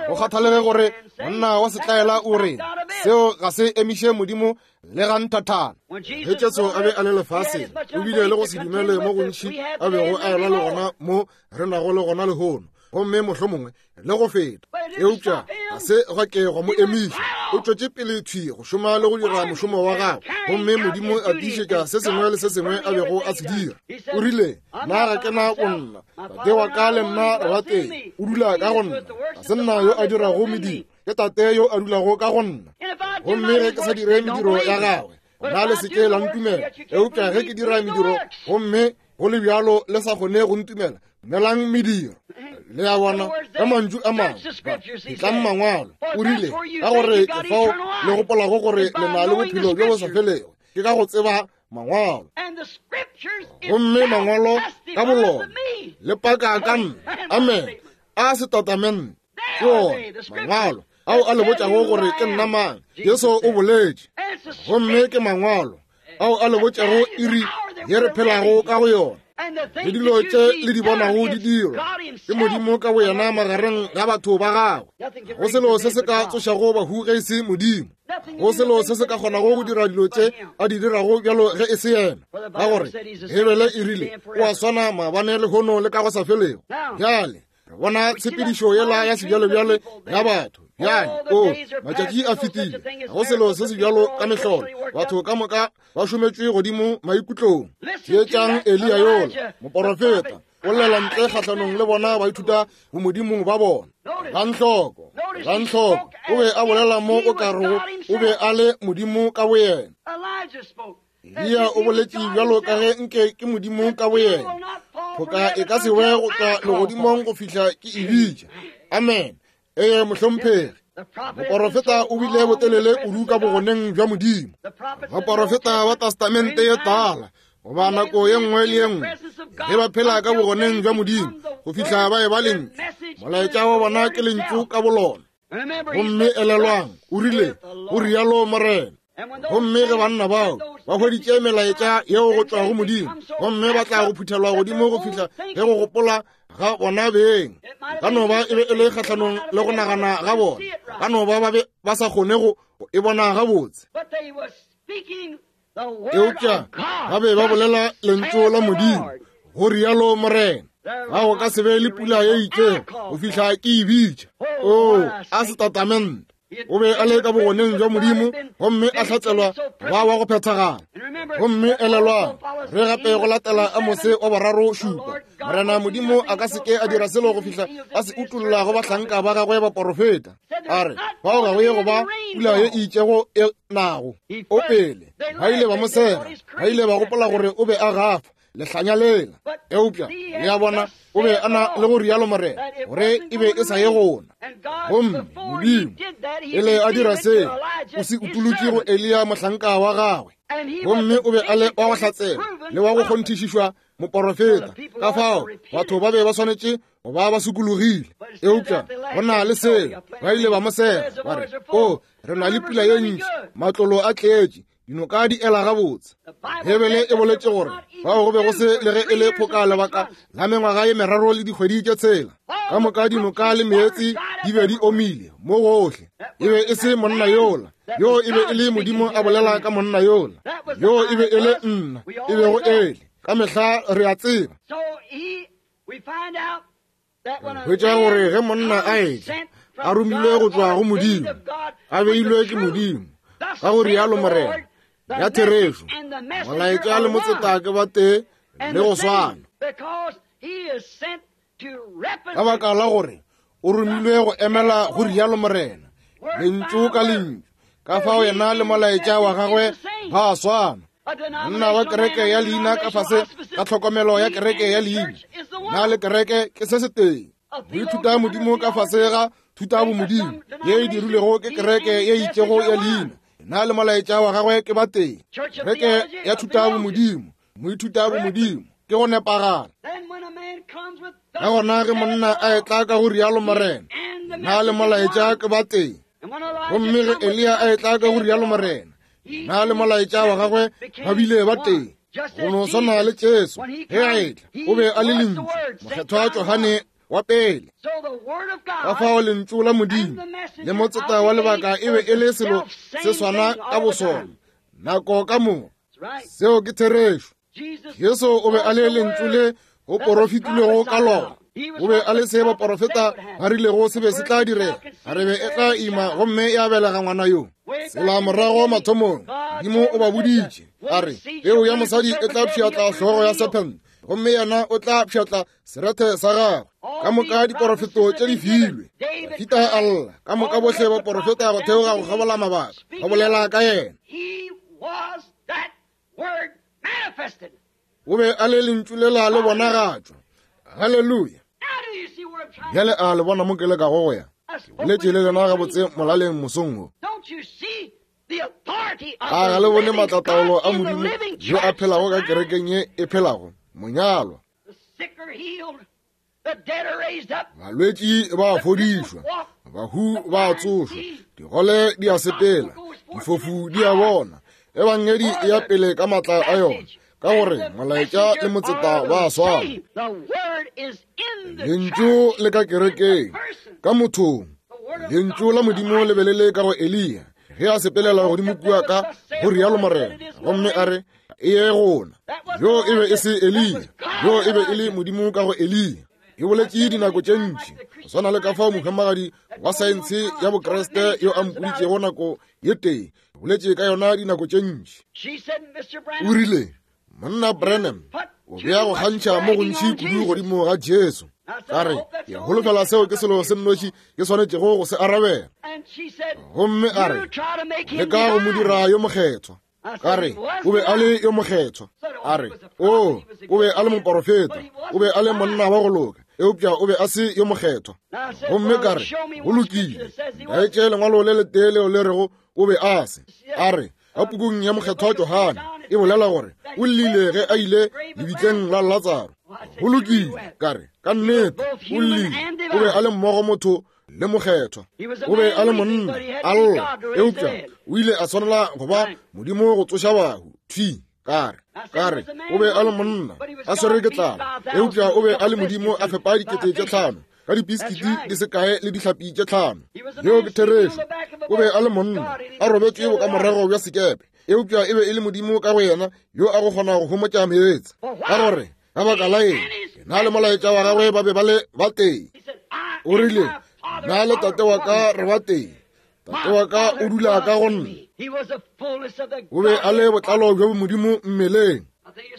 Go kgathalege gore monna wa setlaela o re seo ga se emiše Modimo le ga nthathana. Ge Jesu a be a le lefaseng, o bile le go se dumele mo gontši a bego a elwa le gona mo re nago le gona lehono, gomme mohlomongwe le go feta. Eupša ga se gwa ke gwa mo emiša. O tšwetše pele thwi go šoma le go dira mošomo wa gagwe, gomme Modimo a tiišetša se sengwe le se sengwe a bego a se dira. O rile, Nna ga ke na bonna, Tate wa ka le nna re ba tee, o dula ka go nna. Ga se nna yo a dirago mediro, ke Tate yo a dulago ka go nna. Gomme ge ke sa dire mediro ya gagwe, gona le se ke la ntumela. Eupša ge ke dira mediro, gomme go le bjalo le sa kgone go ntumela, dumelang mediro. Le a bona, ka mantšu a mangwe, etlang mangwalo. O rile, ka gore ke fao le gopolago gore le na le bophelo bjo bo sa felego, ke ka go tseba mangwalo. Gomme mangwalo ka bolona le paka ka nna. Amen. A setatamente ke ona mangwalo ao a le botšago gore ke nna mang. Jesu o boletše, gomme ke mangwalo ao a le botšago iri ye re phelago ka go yona, le dilo tše le di bonago di dirwa ke Modimo ka boyena magareng ga batho ba gagwe. Go selo se se ka tsošago bahu ge e se Modimo. Go selo se se ka kgonago go dira dilo tše a di dirago bjalo ge e se yena, ka gore Beibele e rile o a swana maabane, lehono le ka go sa felego. Bjale re bona tshepedišo yela ya sebjalebjale ya batho. Bjale o matšatši a fetile, ga go selo se se bjalo ka mehlolo. Batho ka moka ba šometšwe godimo maikutlong. Theetšang Eliya yola moporofeta, o llela ntle kgahlanong le bona baithuta bomodimong ba bona. Rantlhoko, rantlhoko, o be a bolela mo o ka rego o be a le Modimo ka boyena. Eliya o boletše bjalo ka ge nke ke Modimo ka boyena. Phoka e ka se we go tšwa legodimong go fihla ke e bitša. Amen. Ee, mohlomphegi. Moporofeta o bile botelele kudu ka bogoneng bja Modimo. Baporofeta ba Testamente ye Tala, goba nako ye nngwe le ye nngwe, ge ba phela ka bogoneng bja Modimo go fihla ba eba lentšu, molaetša wa bona ke lentšu ka bolona. Gomme elelwang, o rile, go rialo Morena. Gomme ge banna bao ba hweditše melaetša yeo go tšwa go Modimo, gomme ba tla go phuthelwa godimo go fihla ge go gopola ga bona beng ka no ba e be e le kgahlanong le go nagana ga bona, ka no ba ba be ba sa kgone go e bona gabotse, eupša ba be ba bolela lentšu la Modimo, go rialo Morena. Ga go ka se be le pula ye itšego go fihla ke e bitša. Oo, a setatamente. O be a le ka bogoneng jwa Modimo gomme a hlatselwa ba wa go phethagala. Gomme elelwang, re gape go latela Amose wa boraro šupa, Morena Modimo a ka se ke a dira selo go fihla a se utolla go bahlanka ba gagwe baporofeta. A re, fao ga go ye go ba pula ye e itšego e nago. O pele, ba ile ba mo sega, ba ile ba gopola gore o be a gafa, lehlanya lela. Eupša, le a bona, o be a na le go rialo Morena, gore e be e sa ye gona. Gomme Modimo, pele a dira se, o se utolotše go Eliya mohlanka wa gagwe. Gomme o be a le wa go hlatsela le wa go kgonthišišwa moporofeta. Ka fao batho ba be ba swanetše go ba ba sokologile. Eupša go na le seo, ba ile ba mo sega, ba re, O, re na le pula ye ntši, matlolo a tletše, dinoka di ela gabotse. Bibele e boletše gore fao go be go se le ge e le phoka lebaka la mengwaga ye meraro le dikgwedi tše tshela. Ka moka dinoka le meetse di be di omile mo gohle. E be e se monna yola, yo e be e le Modimo a bolela ka monna yola, yo e be e le nna, e bego ele. Ka mehla re a tseba. Hwetša gore ge monna a etla a romilwe go tšwa go Modimo, a beilwe ke Modimo, ka go rialo Morena, ya therešo, molaetša le motseta ke ba tee le go swana. Ka baka la gore o romilwe go emela go rialo Morena, lentšu ka lentšu, ka fao yena le molaetša wa gagwe ba swana. Monna wa kereke ya leina ka fase ka tlhokomelo ya kereke ya leina, na le kereke ke se setee. Go ithuta Modimo ka fase ga thuta bomodimo ye e dirilwego ke kereke ye itšego ya leina, na le molaetša wa gagwe ke ba tee. Kereke ya thuta bomodimo, moithuta bomodimo, ke go nepagala. Ka gona ge monna a etla ka go rialo Morena, na le molaetša ke ba tee. Gomme ge Eliya a etla ka go rialo Morena, na le molaetša wa gagwe ba bile ba tee. Go no swana le Jesu ge a etla, o be a le Lentšu, Mokgethwa Johane wa pele. Ka fao Lentšu la Modimo le motseta wa lebaka e be e le selo se swana ka bosona nako ka moka. Seo ke therešo. Jesu o be a le Lentšu le go porofetilwego ka lona. O be a le se baporofeta ba rilego se be se tla direga, a re be e tla ima gomme ya belega ngwana yo. Tsela morago mathomong, Modimo o ba boditše, a re, peu ya mosadi e tla pšhatla hlogo ya sephente, gomme yena o tla pšhatla serethe sa gagwe. Ka moka diporofeto tše di filwe. Dafita a lla, ka moka bohle baporofeta go theoga go kgabola mabaka, ba bolela ka yena. O be a le Lentšu lela le bonagatšwa. Haleluya. Bjale a le bona mo ke lekago go ya? Ke boletše le lena gabotse molaleng mosong wo. A ga le bone maatlataolo a Modimo yo a phelago ka kerekeng ye e phelago, monyalwa? Balwetši ba a fodišwa, bahu ba a tsošwa, digole di a sepela, difofu di a bona, ebangedi e ya pele ka maatla a yona, ka gore molaetša le motseta ba a swana. Lentšu le ka kerekeng, ka mothong. Lentšu la Modimo le be le le ka go Eliya ge a sepelela godimo kua ka go rialo Morena, gomme a re, e ye gona. Yo e be e se Eliya, yo e be e le Modimo ka go Eliya. E boletše dinako tše ntši, go swana le ka fao mohumagadi wa saense ya Bokriste yo a mpoditšego nako ye tee, boletše ka yona dinako tše ntši. O rile, Monna Branham, o bea go kgantšha mo gontši kudu godimo ga Jesu. Ka re, ke holofela seo ke selo se nnoši ke swanetšego go se arabela. Gomme a re, leka go mo dira yo mokgethwa. Ka re, o be a le yo mokgethwa. A re, o, o be a le moporofeta, o be a le monna wa go loka, eupša o be a se yo mokgethwa. Gomme ka re, go lokile, ntaetše lengwalo le letee leo le rego o be a se. A re, ka pukung ya Mokgethwa Johane e bolela gore o llile ge a ile lebitleng la Latsaro. Go lokile, ka re, ka nnete o llile, o be a le mmogo motho le mokgethwa, o be a le monna a lla, eupša o ile a swanela go ba Modimo go tsoša bahu. Thwi, ka re, ka re, o be a le monna a swere ke tlala, eupša o be a le Modimo a fepa 5000 ka dipiskiti di se kae le dihlapi tše 5. Yeo ke therešo. O be a le monna a robetše bokamorago bja sekepe, eupša e be e le Modimo ka go yena yo a go kgona go homotša meetse. Ka gore ka baka la eng? Yena le molaetša wa gagwe ba be ba le batee. O rile, Nna le Tate wa ka re batee. Tate wa ka o dula ka go nna. O be a le botlalo bjo Modimo mmeleng.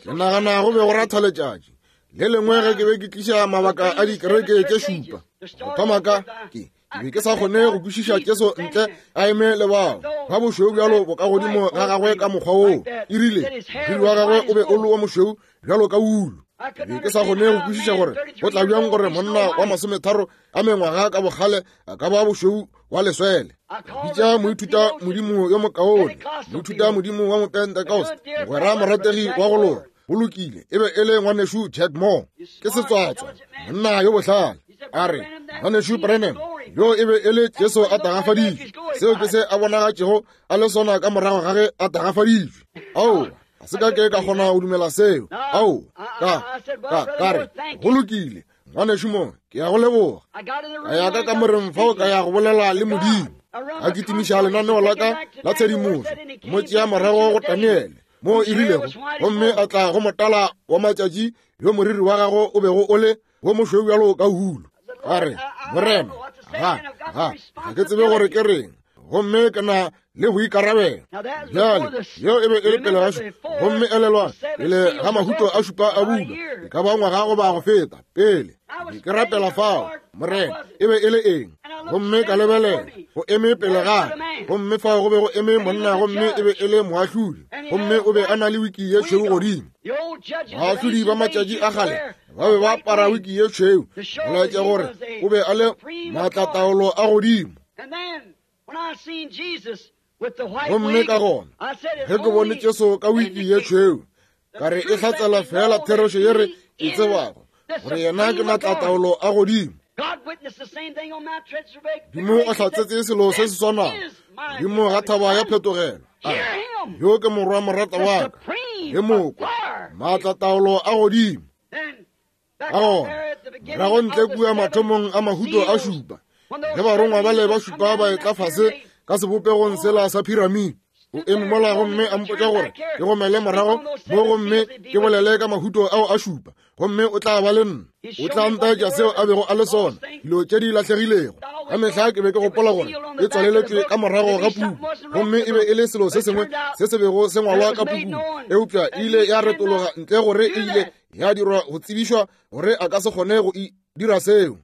Ke nagana go be go ratha letšatši le lengwe ge ke be ke tliša mabaka a dikereke tše šupa. Go thoma ka ke ke be ke sa kgone go kwešiša Jesu ntle a eme le bao ba bošweu bjalo bokagodimo ga gagwe ka mokgwa woo. E rile moriri wa gagwe o be o le wo mošweu bjalo ka wulu. Ke be ke sa kgone go kwešiša gore go tla bjang gore monna wa masometharo a mengwaga ka bokgale a ka ba bošweu wa leswele. Bitša moithuta modimo yo mokaone, moithuta modimo wa Mopentecost, mogwera morategi wa go loka. Go lokile, e be e le ngwanešu Jack Moore, ke setswatswa, monna yo bohlale. A re, ngwanešu Branham, yo e be e le Jesu a tagafaditšwe. Seo ke se a bonagatšego a le sona ka morago ga ge a tagafaditšwe. Aowa, ga se ka ke ka kgona go dumela seo. Ao, ka re, go lokile, ngwanešu Moore, ke ya go leboga. Ka ya ka kamoreng fao ka ya go bolela le Modimo. Ka kitimiša lenaneo la ka la tshedimošo, mo tšea morago go Daniele, mo e rilego, gomme a tla go motala wa matšatši yo moriri wa gago o bego o le wo mošweu bjalo ka hulo. Ka re, Morena, ga ke tsebe gore ke reng, gomme ke na le go ikarabela. Bjale, yeo e be e le pele ga šupa, gomme elelwang, pele ga mahuto a šupa a bulwa, e ka ba ngwaga goba go feta, pele ke rapela fao, Morena, e be e le eng? Gomme ka lebelela, go eme pele ga ka, gomme fao go be go eme monna, gomme e be e le moahlodi, gomme o be a na le wiki ye tšhweu godimo. Baahlodi ba matšatši a kgale ba be ba apara wiki ye tšhweu, go laetša gore o be a le maatlataolo a godimo. Gomme ka gona ge ke bone Jesu ka wiki ye tšhweu, ka re e hlatsela fela therešo ye re e tsebago, gore yena ke maatlataolo a godimo. Modimo o hlatsetse selo se se swanago godimo ga thaba ya phetogelo. A re, yo ke morwa morata wa ka, ke mokwa, maatlataolo a godimo. Ka gona morago ntle kua mathomong a mahuto a šupa, ge barongwa bale ba šupa ba etla fase ka sebopegong sela sa phiramide, o eme mola gomme a mpotša gore ke gomele morago mo gomme ke bolele ka mahuto ao a šupa, gomme o tla ba le nna, o tla ntaetša seo a bego a le sona, dilo tše di lahlegilego. Ka mehla ke be ke gopola gore e tswaleletšwe ka morago ga puku, gomme e be e le selo se sengwe se se bego se ngwalwa ka pukung, eupša e ile ya retologa ntle gore e ile ya dirwa go tsebišwa gore a ka se kgone go e dira seo.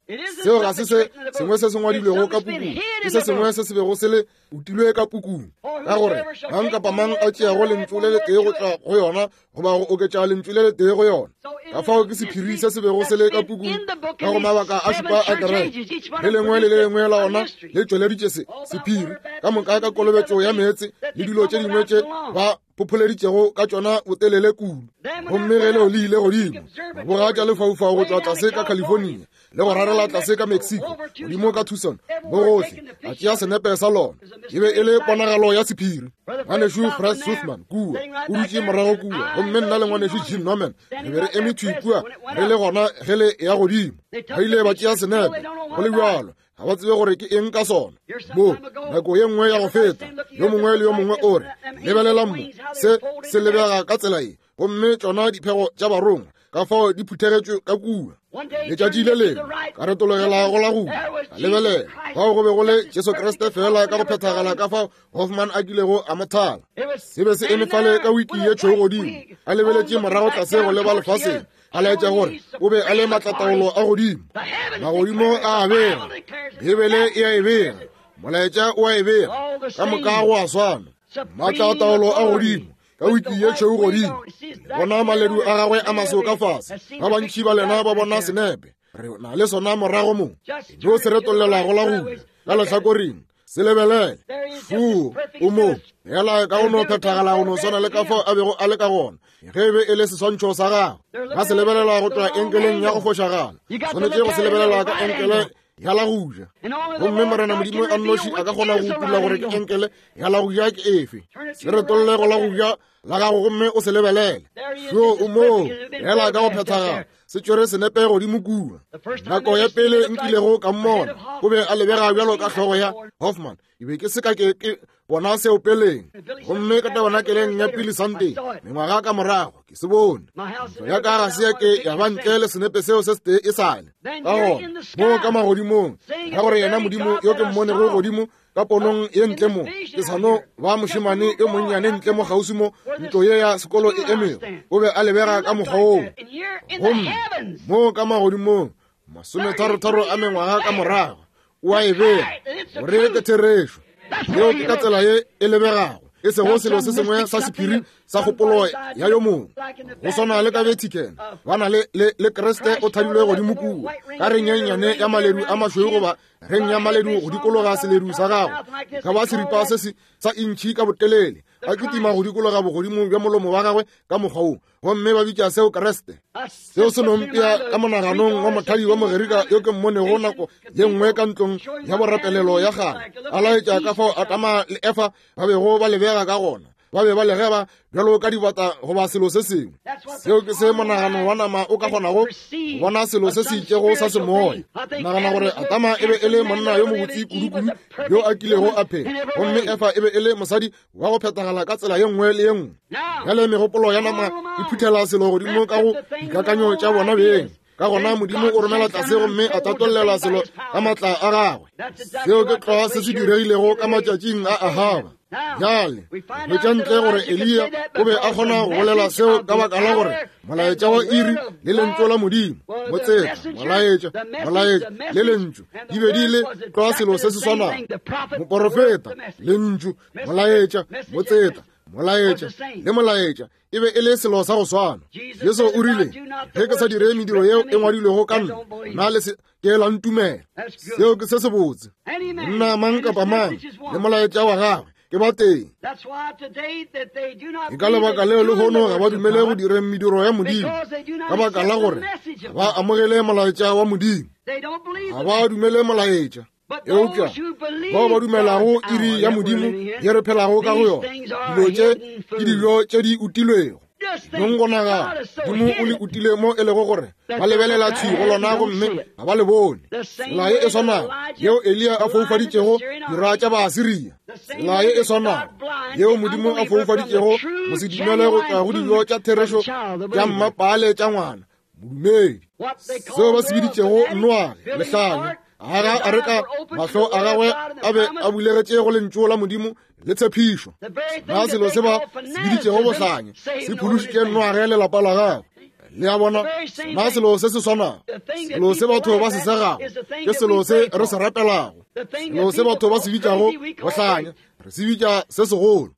Seo ga se se sengwe se se ngwadilwego ka pukung, ke se sengwe se se bego se le utilwe ka pukung, ka gore mang kapa mang a tšeago lentšu le letee go tšwa go yona goba go oketša lentšu le letee go yona. Ka fao ke sephiri se se bego se le ka pukung ka go mabaka a šupa a kereke, le lengwe le le lengwe la ona le tšweleditše se sephiri ka moka ka kolobetšo ya meetse le dilo tše dingwe tše ba phopholeditšego ka tšona botelele kudu. Gomme ge leo le ile godimo, boga tša lefaufau go tšwa tlase ka California le go rarela tlase ka Mexico, godimo ka Tucson, mo gohle, a tšea senepe sa lona. E be e le ponagalo ya sephiri. Ngwanešu Fred Sothmann kua o dutše morago kua, gomme nna le ngwanešu Jim Norman re be re eme thwi kua re le gona ge le ya godimo. Ba ile ba tšea senepe, go le bjalo ga ba tsebe gore ke eng ka sona. Mo nako ye nngwe ya go feta, yo mongwe le yo mongwe o re, lebelela mo, se se lebega ka tsela ye, gomme tšona diphego tša barongwa ka fao di phuthegetšwe ka kua. Letšatši le lengwe ka retologela go la go ka lebelela, fao go be go le Jesu Kriste fela ka go phethagala ka fao Hoffman a kilego a mo thala. Se be se eme fale ka wiki ye tšhweu godimo, a lebeletše morago tlase go leba lefaseng, a laetša gore o be a le maatlataolo a godimo. Magodimo a a bega, Bibele e a e bega, molaetša o a e bega, ka moka go a swana. Maatlataolo a godimo ka wiki ye tšhweu godimo, le bona maledu a gagwe a maso ka fase. Ba bantši ba lena ba bona senepe, re na le sona morago mo, no se retollela go la go ja ka lehlakoreng, se lebelele. Fuu, o mo fela ka go no phethagala go no swana le ka fao a bego a le ka gona ge e be e le seswantšho sa gagwe. Ba se lebelela go tšwa enkeleng ya go fošagala, swanetše go se lebelela ka enkele ya la go ja. Gomme Morena Modimo a nnoši a ka kgona go utolla gore ke enkele ya la go ja ke efe. Se retolle go la go ja la gago gomme o se lebelele. Šo o moo fela ka go phethagala, se tšwere senepe godimo kua. Nako ya pele nkilego ka mmona, o be a lebega bjalo ka hlogo ya Hoffman. Ke be ke se ka ke bona seo peleng, gomme ka tabernakeleng ya Billy Sunday mengwaga ka morago ke se bone. Ntlo ya ka ga se ya ke ya ba ntle le senepe seo se setee e sale. Ka gona mo ka magodimong, ka gore yena Modimo yo ke mmonego godimo Ka ponong ye ntle mo, ke sa no ba mošemane yo monnyane ntle mo kgauswi mo ntlo ye ya sekolo e emego. O be a lebega ka mokgwa woo. Gomme mo ka magodimong, masometharotharo a mengwaga ka morago, o a e bea gore ke therešo. Yeo ke ka tsela ye e lebegago, e sego selo se sengwe sa sephiri sa kgopolo ya yo mongwe. Go swana le ka Vatican, ba na le, le, le Kriste o thadilwe godimo kua ka reng ye nnyane ya maledu a mašweu goba reng ya maledu go dikologa seledu sa gagwe, e ka ba seripa se se sa intšhi ka botelele, a kitima go dikologa bogodimo bja molomo wa gagwe ka mokgwa wo, gomme ba bitša seo Kriste. Seo se no mpea ka monaganong wa mothadi wa Mogerika yo ke mmonego nako ye nngwe ka ntlong ya borapelelo ya kgale, a laetša ka fao Adama le Efa ba bego ba lebega ka gona. Ba be ba legeba bjalo ka dibata goba selo se sengwe. Seo ke se monagano wa nama o ka kgonago go bona selo se se itšego sa semoya. Nagana gore Adama e be e le monna yo mobotse kudu-kudu yo a kilego a phela, gomme Efa e be e le mosadi wa go phethagala ka tsela ye nngwe le ye nngwe. Bjale megopolo ya nama e phuthela selo godimo ka go dikakanyo tša bona beng. Ka gona Modimo o romela tlase gomme a tatollela selo ka maatla a gagwe. Seo ke tlwa se se diregilego ka matšatšing a Ahaba. Bjale hwetša ntle gore Eliya o be a kgona go bolela seo ka baka la gore molaetša wa iri le lentšu la Modimo, motseta, molaetša, molaetša le lentšu di be di le tlwa selo se se swanago. Moporofeta, lentšu, molaetša, motseta, molaetša le molaetša e be e le selo sa go swana. Jesu o rile, ge ke sa dire mediro yeo e ngwadilwego ka nna, nna le se ke la ntumela. Seo ke se sebotse. Monna mang kapa mang le molaetša wa gagwe ke ba teng. Ke ka lebaka leo lehono ga ba dumele go direng mediro ya Modimo, ka baka la gore ga ba amogele molaetša wa Modimo, ga ba dumele molaetša. Eupša bao ba dumelago iri ya Modimo ye re phelago ka go yona, dilo tše ke dijo tše di utilwego. Nong go nagana, Modimo o le utile mo e lego gore ba lebelela thwi go lona gomme ga ba le bone. Tsela ye e swanago yeo Eliya a foufaditšego dira tša Baasiria, tsela ye e swanago yeo Modimo a foufaditšego mosedumele go tšwa go dijo tša therešo tša mmapaale tša ngwana modumedi, seo ba se biditšego Noage lehlanya, aga a re ka mahlo a gagwe a be a bulegetše go lentšu la Modimo le tshepišo. Na selo se ba se biditšego bohlanya se phološitše Noage le lapa la gagwe. Le a bona, na selo se se swanago, selo se batho ba se segago ke selo se re se rapelago, selo se batho ba se bitšago bohlanya re se bitša se segolo,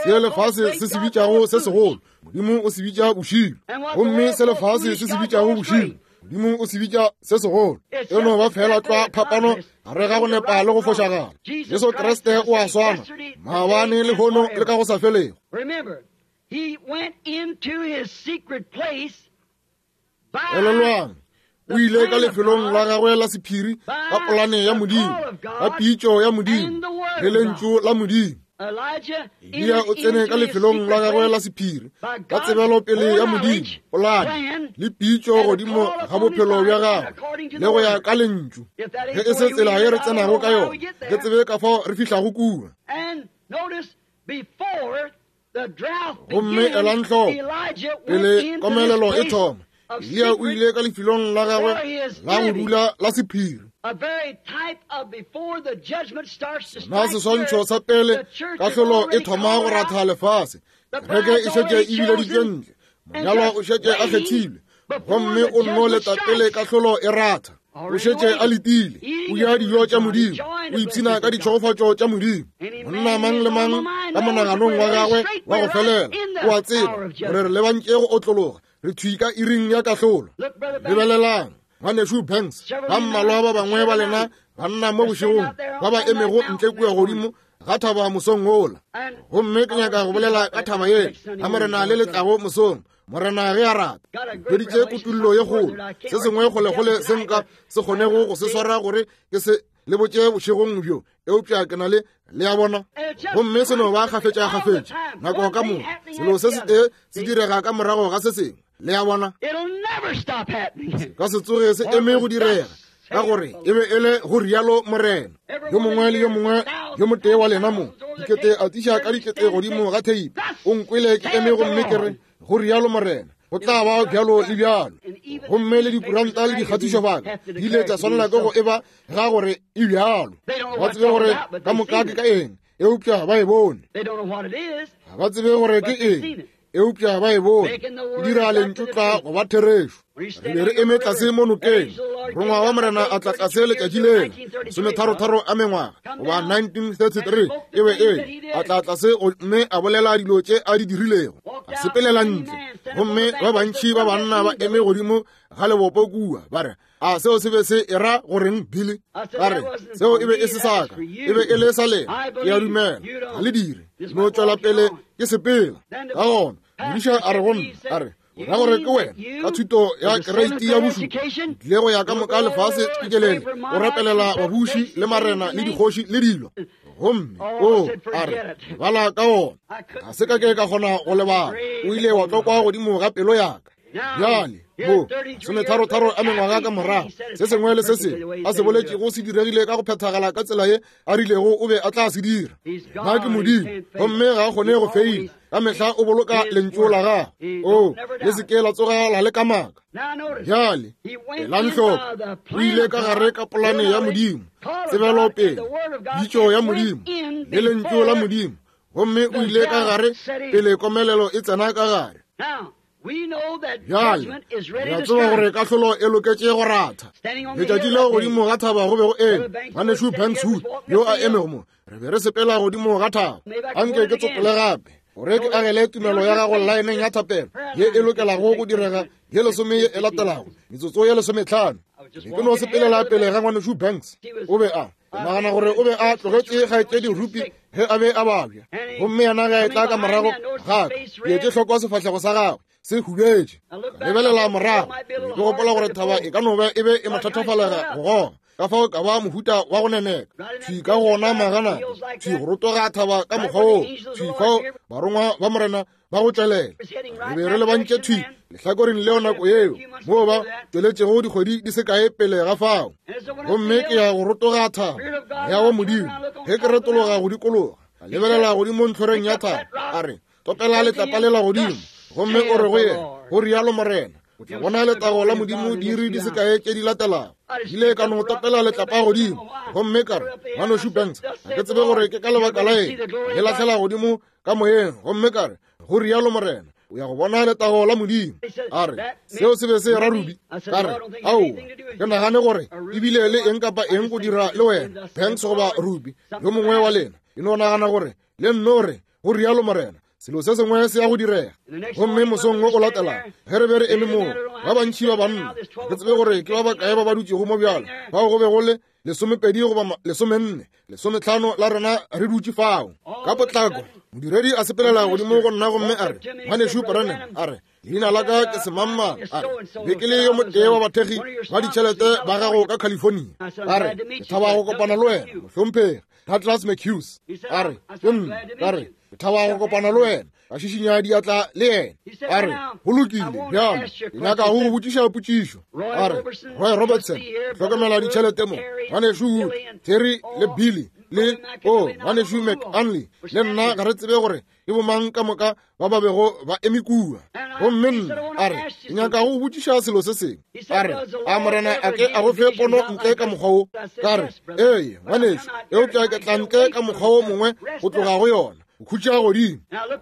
se lefase se se bitšago se segolo Modimo o se bitša bošilo, gomme se lefase se se bitšago bošilo Modimo o se bitša se segolo. E no ba fela tlwa phapano gare ga go nepa le go fošagala. Jesu Kriste o a swana maabane, lehono le ka go sa felego. Elelwang, o ile ka lefelong la gagwe la sephiri ka polane ya Modimo, ka pitšo ya Modimo le lentšu la Modimo. Eliya o tsene ka lefelong la gagwe la sephiri ka tsebelopele ya Modimo, polane le pitšo godimo ga bophelo bja gagwe le go ya ka lentšu. Ge e se tsela ye re tsenago ka yona, ke tsebe ka fao re fihlago kua. Gomme elang hloko, pele komelelo e thoma, Eliya o ile ka lefelong la gagwe la go dula la sephiri. Na seswantšho sa pele kahlolo e thoma go ratha lefase, kereke e šetše e bileditšwe ntle, monyalwa o šetše a kgethilwe, gomme o nno leta pele kahlolo e ratha. O šetše a letile, o ja dijo tša Modimo, o ipshina ka ditšhegofatšo tša Modimo. Monna mang le mang ka monaganong wa gagwe wa go felela o a tseba gore re lebantše go otlologa, re thwi ka iring ya kahlolo. Lebelelang, Ngwanešu Banks, ba mmalwa ba bangwe ba lena banna mo bošegong ba ba emego ntle kua godimo ga thaba mosong wola. Gomme ke nyaka go bolela ka thaba yela ga Morena le letlago mosong. Morena ge a rata, hweditše kutullo ye kgolo, se sengwe kgolekgole se nka se kgonego go se swara gore ke se le botše bošegong bjo, eupša ke na le, le a bona. Gomme se no ba kgafetšakgafetša nako ka moka, selo se setee se direga ka morago ga se sengwe, le a bona. Se ka se tsoge se eme go direga, ka gore e be e le go rialo Morena. Yo mongwe le yo mongwe yo motee wa lena mo, dikete a tiša ka dikete godimo ga theipi, o nkwele ke eme gomme ke re, go rialo Morena. Go tla ba bjalo le bjalo. Gomme le dikuranta le dikgatišobaka di ile tša swanela ke go eba ga gore e bjalo. Ba tsebe gore ka moka ke ka eng, eupša ba e bone. Ga ba tsebe gore ke eng, eupša ba e bone. E dira lentšu tla go ba therešo. Re be re eme tlase mo nokeng. Morongwa wa Morena a tla tlase letšatši lela, masometharotharo a mengwaga, goba 1933 e be e a tla tlase gomme a bolela dilo tše a di dirilego. A sepelela ntle, gomme ba bantši ba banna ba eme godimo ga lebopo kua, ba re, A seo se be se e ra goreng, Billy? Ka re, seo e be e se sa ka, e be e le sa lena. Ke a dumela ga le dire. No tšwela pele ke sepela. Ka gona modiša a re go nna, a re, o ra gore ke wena ka thuto ya kereiti ya bošupa tlile go ya ka moka lefase tšikelele o rapelela babuši le marena le dikgoši le dilo, gomme o a re bala ka ona ga se ka ke ka kgona go lebala, o ile wa tlokwa godimo ga pelo yaka. Bjale mo sometharotharo a mengwaga ka morago, se sengwe le se sengwe a se boletšego se diregile ka go phethagala ka tsela ye a rilego o be a tla se dira. Nna ke Modimo, gomme ga a kgone go feila. Ka mehla o boloka lentšu la gagwe. O le se ke la tsoga la le kamaka. Bjale elang hloko, o ile ka gare ka polane ya Modimo, tsebelopele, pitšo ya Modimo le lentšu la Modimo, gomme o ile ka gare pele komelelo e tsena ka gare. Bjale re a tseba gore kahlolo e loketše go ratha. Letšatši leo godimo ga thaba go be go eme ngwanešu Banks Wood yo a emego mo. Re be re sepela godimo ga thaba. Anke ke tsopole gape gore ke agele tumelo ya gago laeneng ya thapelo ye e lokelago go direga ye lesome ye e latelago, metsotso ye lesometlhano. Be ke no sepelela pele ga ngwanešu Banks. O be a Ke nagana gore o be a tlogetše kgaetšedi Rupi ge a be a babja, gomme yena ge a etla ka morago ga ka, ke etše hloko sefahlego sa gagwe se hubetše. Ka lebelela morago, ke gopola gore thaba e ka no be e be e mo thathafalega go goga, ka fao ka ba mohuta wa go neneka thwi ka gona magana thwi go rotoga thaba ka mokgwa woo, thwi fao barongwa ba Morena ba go tšwelela. Re be re lebantše thwi lehlakoreng leo nako yeo, moo ba tšweletšego dikgwedi di se kae pele ga fao. Gomme ke ya go rotoga thaba ya wa Modimo. Ge ke retologa go dikologa, ka lebelela godimo ntlhoreng ya thaba, a re, Topela letlapa lela godimo, gomme o re go yena, go rialo Morena, o tla bona letago la Modimo diiri di se kae tše di latelago. Ile ka no topela letlapa godimo, gomme ka re, Ngwanešu Banks, ga ke tsebe gore ke ka lebaka la eng, le lahlela godimo ka moyeng, gomme ka re, go rialo Morena, o ya go bona letago la Modimo. A re, seo se be se ra Ruby. Ka re, aowa, ke nagane gore ebile le eng kapa eng go dira le wena, Banks goba Ruby, yo mongwe wa lena. E no nagana gore le nno re, go rialo Morena, selo se sengwe se ya go direga. Gomme mosong wo o latelago, ge re be re eme moo, ba bantši ba banna, ga ke tsebe gore ke ba bakae ba ba dutšego mo bjalo, bao go be go le lesomepedi goba lesomenne, lesometlhano la rena re dutše fao. Ka potlako modiredi a sepelela godimo go nna gomme a re, Ngwanešu Branham, a re, leina la ka ke semangmang, a re, be ke le yo motee wa bathekgi ba ditšhelete ba gago ka California. A re, ke thaba go kopana le wena, mohlomphegi Douglas McHughes. A re, ke nna. Ka re, ke thaba go kopana le wena. Ka šišinya diatla le yena. A re, go lokile, bjalo ke nyaka go go botšiša potšišo. A re, Roy Robertson, hlokomela ditšhelete mo, ngwanešu Wood, Terry le Billy le o ngwanešu McAnley le nna ga re tsebe gore ke bomang ka moka ba ba bego ba eme kua. Gomme nna, a re, ke nyaka go botšiša selo se sengwe. A re, a Morena a ke a go fe pono ntle ka mokgwa wo? Ka re, ee, ngwanešu, eupša ke tla ntle ka mokgwa wo mongwe go tloga go yona, go khutša godimo.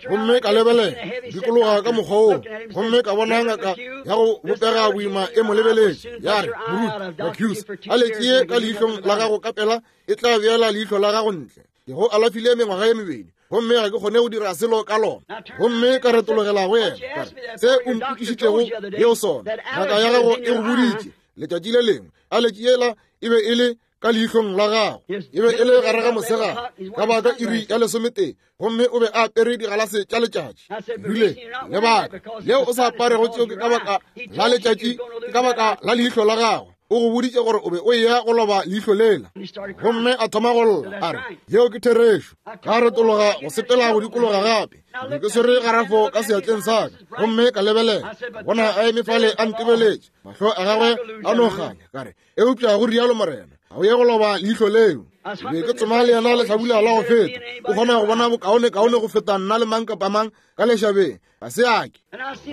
Gomme ka lebelela dikologa ka mokgwa woo, gomme ka bona ngaka ya go bopega boima e mo lebeletše, ya re, Moruti McHughes, a letšee ka leihlong la gago ka pela e tla beela leihlo la gago ntle. Ke go alafile mengwaga ye mebedi, gomme ga ke kgone go dira selo ka lona. Gomme ka retologela go yena, ka re, se o mpotšišitšego yeo sona, ngaka ya gago e go boditše letšatši le lengwe, a letši yela e be e le ka leihlong la gago, e be e le gare ga mosegare ka baka iri ya lesometee, gomme o be a apere digalase tša letšatši. Rile, lebaka leo o sa aparego tšeo ke ka baka la letšatši, ke ka baka la leihlo la gago. O go boditše gore o be o eya go loba leihlo lela. Gomme a thoma go lla, a re, yeo ke therešo. Ka retologa go sepela go dikologa gape. Ke be ke swere garafo ka seatleng sa ka, gomme ka lebelela, ka bona a eme fale a ntebeletše, mahlo a gagwe a no kganya. Ka re, Eupša go rialo Morena, ga o ye go loba leihlo leo. Ke be ke tsoma le yena lehlabula la go feta. O kgona go bona bokaonekaone go feta nna le mang kapa mang ka lešabeng. Ga se a ke.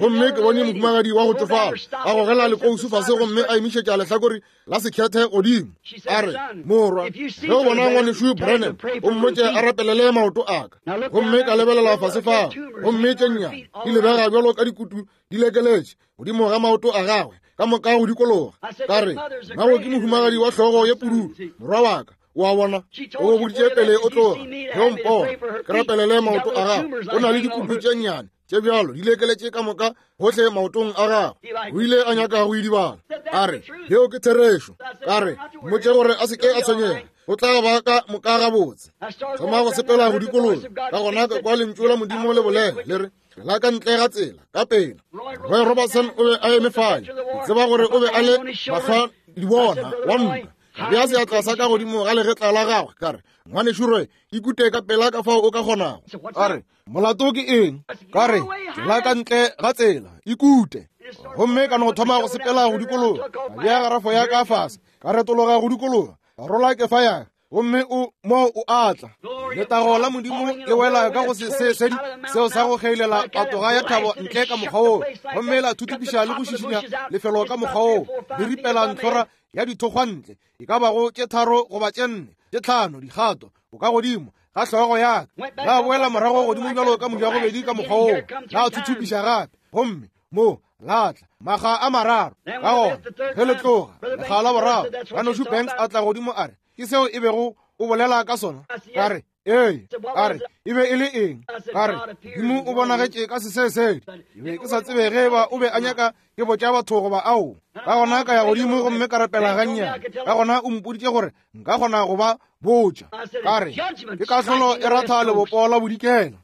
Gomme ke bone mohumagadi wa go tšofala a gogela lekousu fase gomme a emišetša lehlakore la sekhethe godimo. A re, Morwa, ge o bona ngwanešu Branham, o mmotše a rapelele maoto a ka. Gomme ka lebelela fase fao, gomme tše nnyane di lebega bjalo ka dikutu di lekeletše godimo ga maoto a gagwe ka moka go dikologa. Ka re, Mago ke mohumagadi wa hlogo ye pududu, morwa wa ka. O a bona, o boditše pele o tloga, ge o mpona ke rapelele maoto a gago, o na le dikutu tše nnyane tše bjalo di lekeletše ka moka gohle maotong a gagwe. O ile a nyaka go idibala. A re, Yeo ke therešo. Ka re, Mmotše gore a se ke a tshwenyega, o tla ba ka moka gabotse. Thoma go sepela go dikologa. Ka gona ka kwa lentšu la Modimo le bolela le re, la ka ntle ga tsela ka pela. Roy Robertson o be a eme fale. Ke tseba gore o be a le mahlwa dibona wa ntwa. Ka bea seatla sa ka godimo ga legetla la gagwe, ka re, Ngwanešu Roy, ikute ka pela ka fao o ka kgonago. A re, Molato ke eng? Ka re, Tšwela ka ntle ga tsela, ikute. Gomme ka no thoma go sepela go dikologa, ka bea garafo ya ka fase, ka retologa go dikologa, ka rola kefa ya ka, gomme o mo o atla. Letago la Modimo le wela ka go sesesedi seo sa go kgeilela patoga ya thabo ntle ka mokgwa woo, gomme la thuthupiša le go šišinya lefelo ka mokgwa woo, le ripela ntlhora ya dithokgwa ntle, e ka bago tše 3 goba tše 4, tše 5 dikgato bokagodimo ga hlogo ya ka. La boela morago godimo bjalo ka mojagobedi ka mokgwa woo, la thuthupiša gape, gomme mo la tla makga a mararo. Ka gona ge le tloga lekga la boraro, Ngwanešu Banks a tla godimo a re, Ke seo e bego o bolela ka sona? Ka re, Ee. A re, E be e le eng? Ka re, Modimo o bonagetše ka sesesedi. Ke be ke sa tsebe ge eba o be a nyaka ke botša batho goba ao. Ka gona ka ya godimo gomme ka rapela gannyane. Ka gona o mpoditše gore nka kgona go ba botša. Ka re, Ke kahlolo e ratha lebopo la bodikela.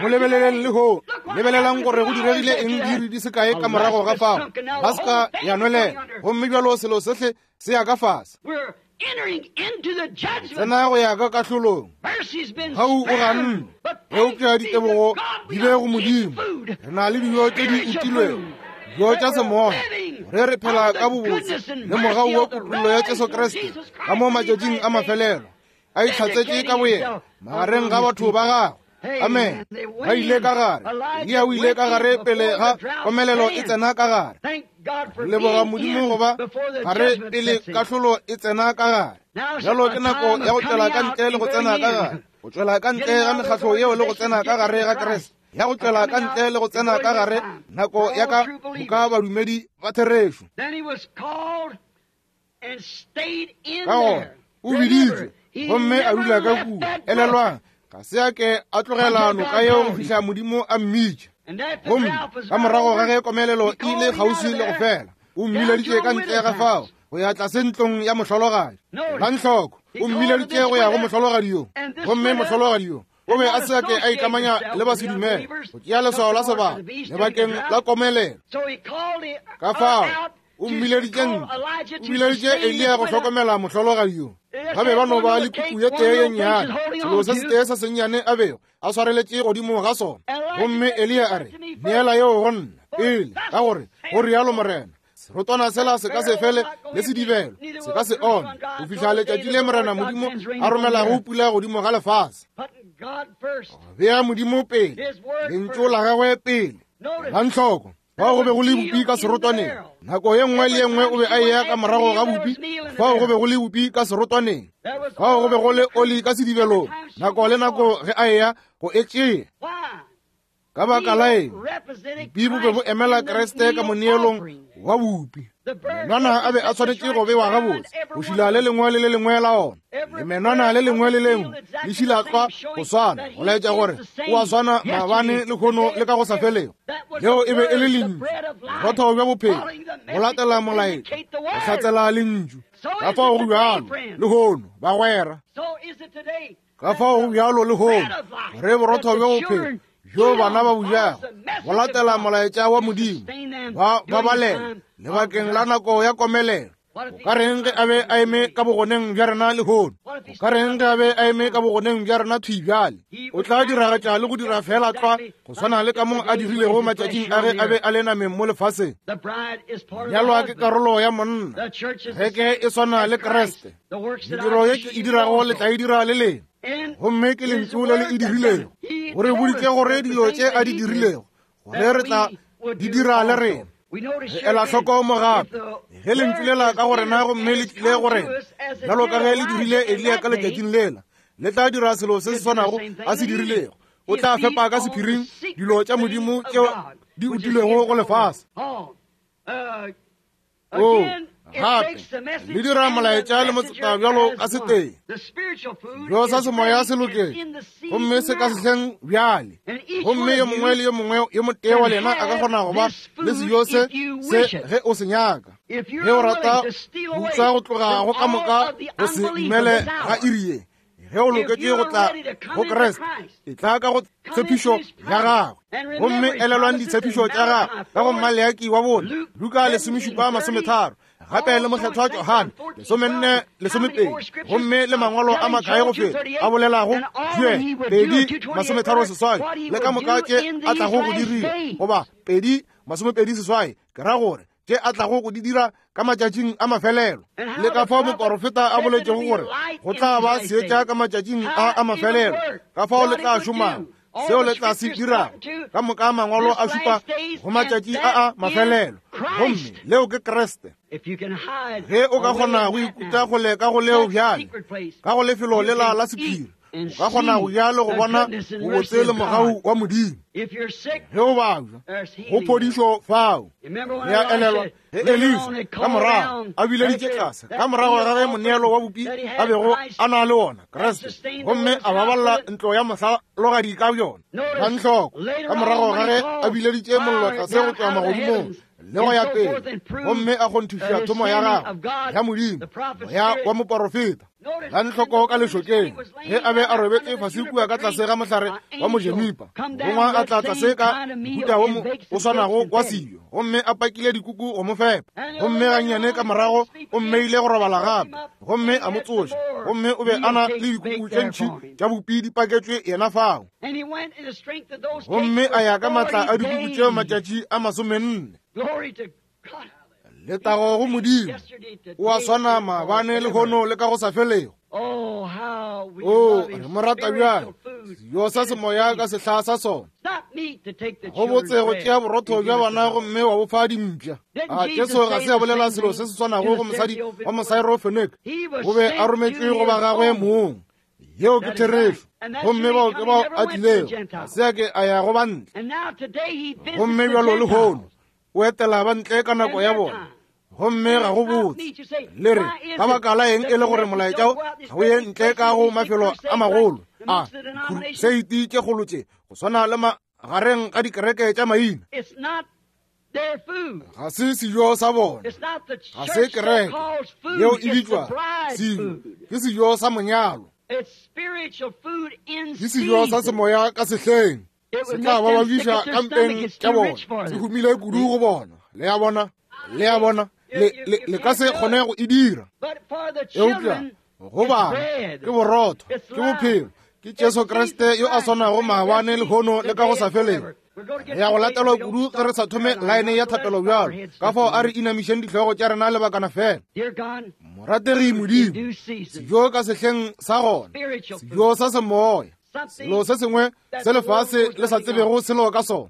Mo lebeleleng lehono. Lebelelang gore go diregile eng diiri di se kae ka morago ga fao. Alaska ya nwelela, gomme bjalo selo sohle se ya ka fase. Tsena go ya ka kahlolong. Gau o ganne, eupša ditebogo di be go Modimo. Re na le dijo tše di utilwego, dijo tša semoya, gore re phela ka bobotse le mogau wa kutollo ya Jesu Kriste ka mo matšatšing a mafelelo, a itlhatsetše ka boyena magareng ga batho ba gagwe. Amen. Ba ile ka gare. Eliya o ile ka gare pele ga komelelo e tsena ka gare. Re leboga Modimo go ba gare pele kahlolo e tsena ka gare. Bjalo ke nako ya go tšwela ka ntle le go tsena ka gare, go tšwela ka ntle ga mekgatlo yeo le go tsena ka gare ga Kriste, ya go tšwela ka ntle le go tsena ka gare, nako ya ka moka badumedi ba therešo. Ka gona o biditšwe gomme a dula ka kua. Elelwang, ga se a ke a tlogela noka yeo go fihla Modimo a mmitša. Gomme ka morago ga ge komelelo e ile kgauswi le go fela, o mmileditše ka ntle ga fao go ya tlase ntlong ya mohlologadi. Elang hloko, o mmileditše go ya go mohlologadi yo, gomme mohlologadi yo o be a se a ke a ikamanya le basedumele go tšea leswao la sebaka lebakeng la komelelo. Ka fao o mmileditše ntle, o bileditše Eliya go hlokomela mohlologadi yo. Ba be ba no ba le kuku ye tee ye nnyane, selo se setee se sennyane a bego a swareletše godimo ga sona. Gomme Eliya a re, Neela yeo go nna pele, ka gore go rialo Morena, serotwana sela se ka se fele le sedibelo se ka se ome go fihla letšatši le Morena Modimo a romelago pula godimo ga lefase. Bea Modimo pele, lentšu la gagwe pele. Elang hloko, Fao go be go le bupi ka serotwaneng. Nako ye nngwe le ye nngwe o be a eya ka morago ga bupi. Fao go be go le bupi ka serotwaneng. Fao go be go le oli ka sedibelong. Nako le nako ge a eya go e tšea. Ka baka la eng? Bupi bo be bo emela Kriste ka moneelong wa bupi. Menwana a be a swanetše go bewa gabotse, go šila le lengwe le le lengwe la ona, le menwana le lengwe le lengwe le šila tlwa go swana, go laetša gore o a swana maabane, lehono le ka go sa felego. Leo e be e le lentšu, borotho bja bophelo, go latela molaetša, go hlatsela lentšu. Ka fao go bjalo lehono, bagwera. Ka fao go bjalo lehono, gore borotho bja bophelo bjo bana ba bo jago go latela molaetša wa Modimo, ba babalela lebakeng la nako ya komelelo. O ka reng ge a be a eme ka bogoneng bja rena lehono? O ka reng ge a be a eme ka bogoneng bja rena thwi bjale? O tla diragatša le go dira feela tlwa go swana le ka mo a dirilego matšatšing a ge a be a le nameng mo lefaseng. Nyalwa ke karolo ya monna. Kereke e swana le Kriste. Mediro ye ke e dirago le tla e dira le lena. Gomme ke lentšu le le e dirilego. O re boditše gore dilo tše a di dirilego, gore re tla di dira le rena. Re ela hloko mo gape ge lentšu lela ka go rena gomme le tlile go rena bjalo ka ge le dirile Eliya ka letšatšing lela, le tla dira selo se se swanago a se dirilego. O tla fepa ka sephiring dilo tša Modimo tšeo di utilwego go lefase. O gape le dira molaetša le motseta bjalo ka setee. Bjo sa semoya se loketše gomme se ka sehleng bjale, gomme yo mongwe le yo mongwe yo motee wa lena a ka kgona go ba le sejo se se ge o se nyaka. Ge o rata go utswa go tloga go ka moka go se dumele ga iri ye, ge o loketše go tla go Kriste, e tla ka go tshepišo ya gagwe. Gomme elelwang ditshepišo tša gagwe ka go Maleaki wa bone, Luka 17:30, gape le mokgethwa Johane 14:12, gomme le mangwalo a makae go feta a bolelago Joel 2:38 le ka moka tše a tlago go di dira, goba 2:28, ke ra gore tše a tlago go di dira ka matšatšing a mafelelo, le ka fao moporofeta a boletšego gore go tla ba seetša ka matšatšing a a mafelelo, ka fao le tla šomago, seo le tla se dirago. Ka moka mangwalo a šupa go matšatši a a mafelelo, gomme leo ke Kriste. Ge o ka kgona go ikuta kgole ka go leo bjale, ka go lefelo lela la sephiri, o ka kgona go ja le go bona bobotse le mogau wa Modimo. Ge o babja, go phodišo fao. Le a elelwa ge Elisa ka morago a bileditše tlase ka morago ga ge moneelo wa bupi a bego a na le wona, Kriste, gomme a baballa ntlo ya mohlalogadi ka bjona. Elang hloko, ka morago ga ge a bileditše mollo tlase go tšwa magodimong le go ya pele, gomme a kgonthiša thomo ya gagwe ya Modimo, moya wa moporofeta. Elang hloko ka lešokeng ge a be a robetše fase kua ka tlase ga mohlare wa mojenipa, morongwa a tla tlase ka mohuta wo o swanago wa sejo, gomme a pakile dikuku go mo fepa. Gomme gannyane ka morago o mmeile go robala gape, gomme a mo tsoša, gomme o be a na le dikuku tše ntši tša bupi di paketšwe yena fao. Gomme a ya ka matla a dikuku tšeo matšatši a 40. Letago go Modimo! O a swana maabane, lehono le ka go sa felego. O re mo rata bjang, sejo sa semoya ka sehla sa sona. Go botse go tšea borotho bja bana gomme wa bo fa dimpša. A Jesu ga se a bolela selo se se swanago go mosadi wa Mosaerofeneke? O be a rometšwe go ba gagwe mong. Yeo ke therešo. Gomme bao ke bao a tlilego, ga se a ke a ya go ba ntle. Gomme bjalo lehono o etela ba ntle ka nako ya bona, gomme ga go botse. Le re, ka baka la eng e le gore molaetša ga o ye ntle ka go mafelo a magolo a kruseiti tše kgolo tše go swana le magareng ga dikereke tša maina? Ga se sejo sa bona, ga se kereke yeo e bitšwa sejo, ke sejo sa monyalo, ke sejo sa semoya ka sehleng. Se tla ba babiša ka mpeng tša bona, se humile kudu go bona. Le a bona, le a bona, le ka se kgone go e dira. Eupša go bana ke borotho, ke bophelo, ke Jesu Kriste yo a swanago maabane, lehono le ka go sa felego. Re ya go latelwa kudu ge re sa thome laene ya thapelo bjalo. Ka fao a re inamišeng dihlogo tša rena lebakana fela. Morategi Modimo, sejo ka sehleng sa gona, sejo sa semoya, selo se sengwe se lefase le sa tsebego selo ka sona.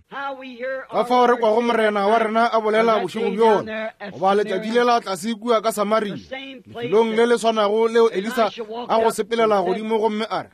Ka fao re kwago Morena wa rena a bolela bošego bjona, goba letšatši lela tlase kua ka Samaria, lefelong le le swanago leo Elisa a go sepelela godimo gomme a re,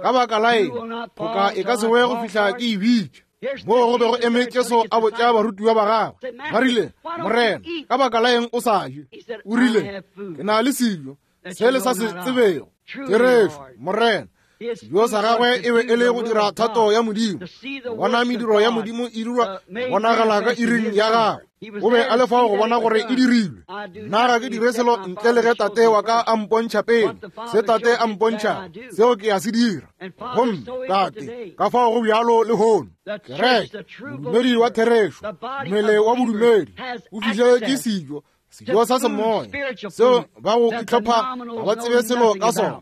ka baka la eng phoka e ka se we go fihla ke e bitša? Moo go be go eme Jesu a botša barutiwa ba gagwe, ba rile, Morena, ka baka la eng o sa je? O rile, ke na le sejo se le sa se tsebego. Therešo, Morena. Sejo sa gagwe e be e le go dira thato ya Modimo, go bona mediro ya Modimo e dirwa bonagala ka iring ya gagwe. O be a le fao go bona gore e dirilwe. Nna ga ke dire selo ntle le ge Tate wa ka a mpontšha pele. Se Tate a mpontšha, seo ke a se dira. Gomme Tate, ka fao go bjalo lehono. Kereke, modumedi wa therešo, mmele wa bodumedi, o fihleletše sejo. Sejo sa semoya seo ba go itlhopha ga ba tsebe selo ka sona.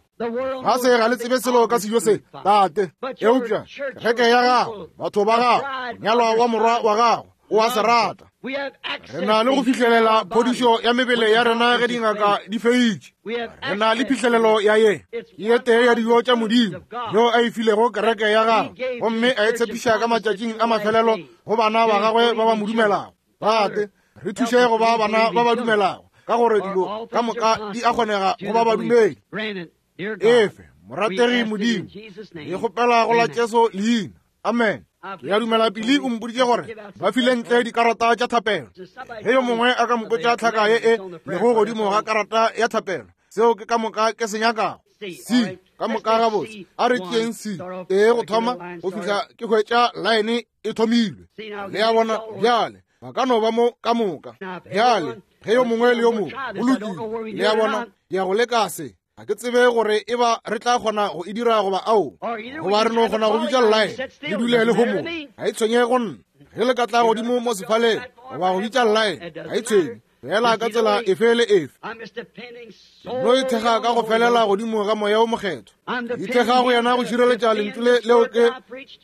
Ga se ga le tsebe selo ka sejo se, Tate. Eupša kereke ya gago, batho ba gago, monyalwa wa morwa wa gago, o a se rata. Re na le go fihlelela phodišo ya mebele ya rena ge dingaka di feitše. Re na le phihlelelo ya ye. Ke ye tee ya dijo tša Modimo yeo a e filego kereke ya gagwe, gomme a e tshepiša ka matšatšing a mafelelo go bana ba gagwe ba ba mo dumelago. Tate, re thuše go ba bana ba ba dumelago, ka gore dilo ka moka di a kgonega go ba badumedi. Efe, morategi Modimo, re kgopela go la Jesu leina. Amen. Ke a dumela Pili o mpoditše gore ba file ntle dikarata tša thapelo. Ge yo mongwe a ka mpotša tlhaka ye e lego godimo ga karata ya thapelo, seo ke ka moka ke se nyakago. C, ka moka gabotse. A re tšeeng C tee go thoma go fihla ke hwetša laene e thomilwe. Le a bona bjale, ba ka no ba mo ka moka. Bjale, ge yo mongwe le yo mongwe, go lokile. Le a bona, ke ya go leka se. Ga ke tsebe gore e ba re tla kgona go e dira goba ao, goba re no kgona go bitša llaene le dule le homola. Ga e tshwenye go nna ge le ka tla godimo mo sefaleng goba go bitša llaene, ga e tshwenye fela ka tsela efe le efe. No ithekga ka go felela godimo ga Moya o Mokgethwa, ithekga go yena go šireletša lentšu le leo ke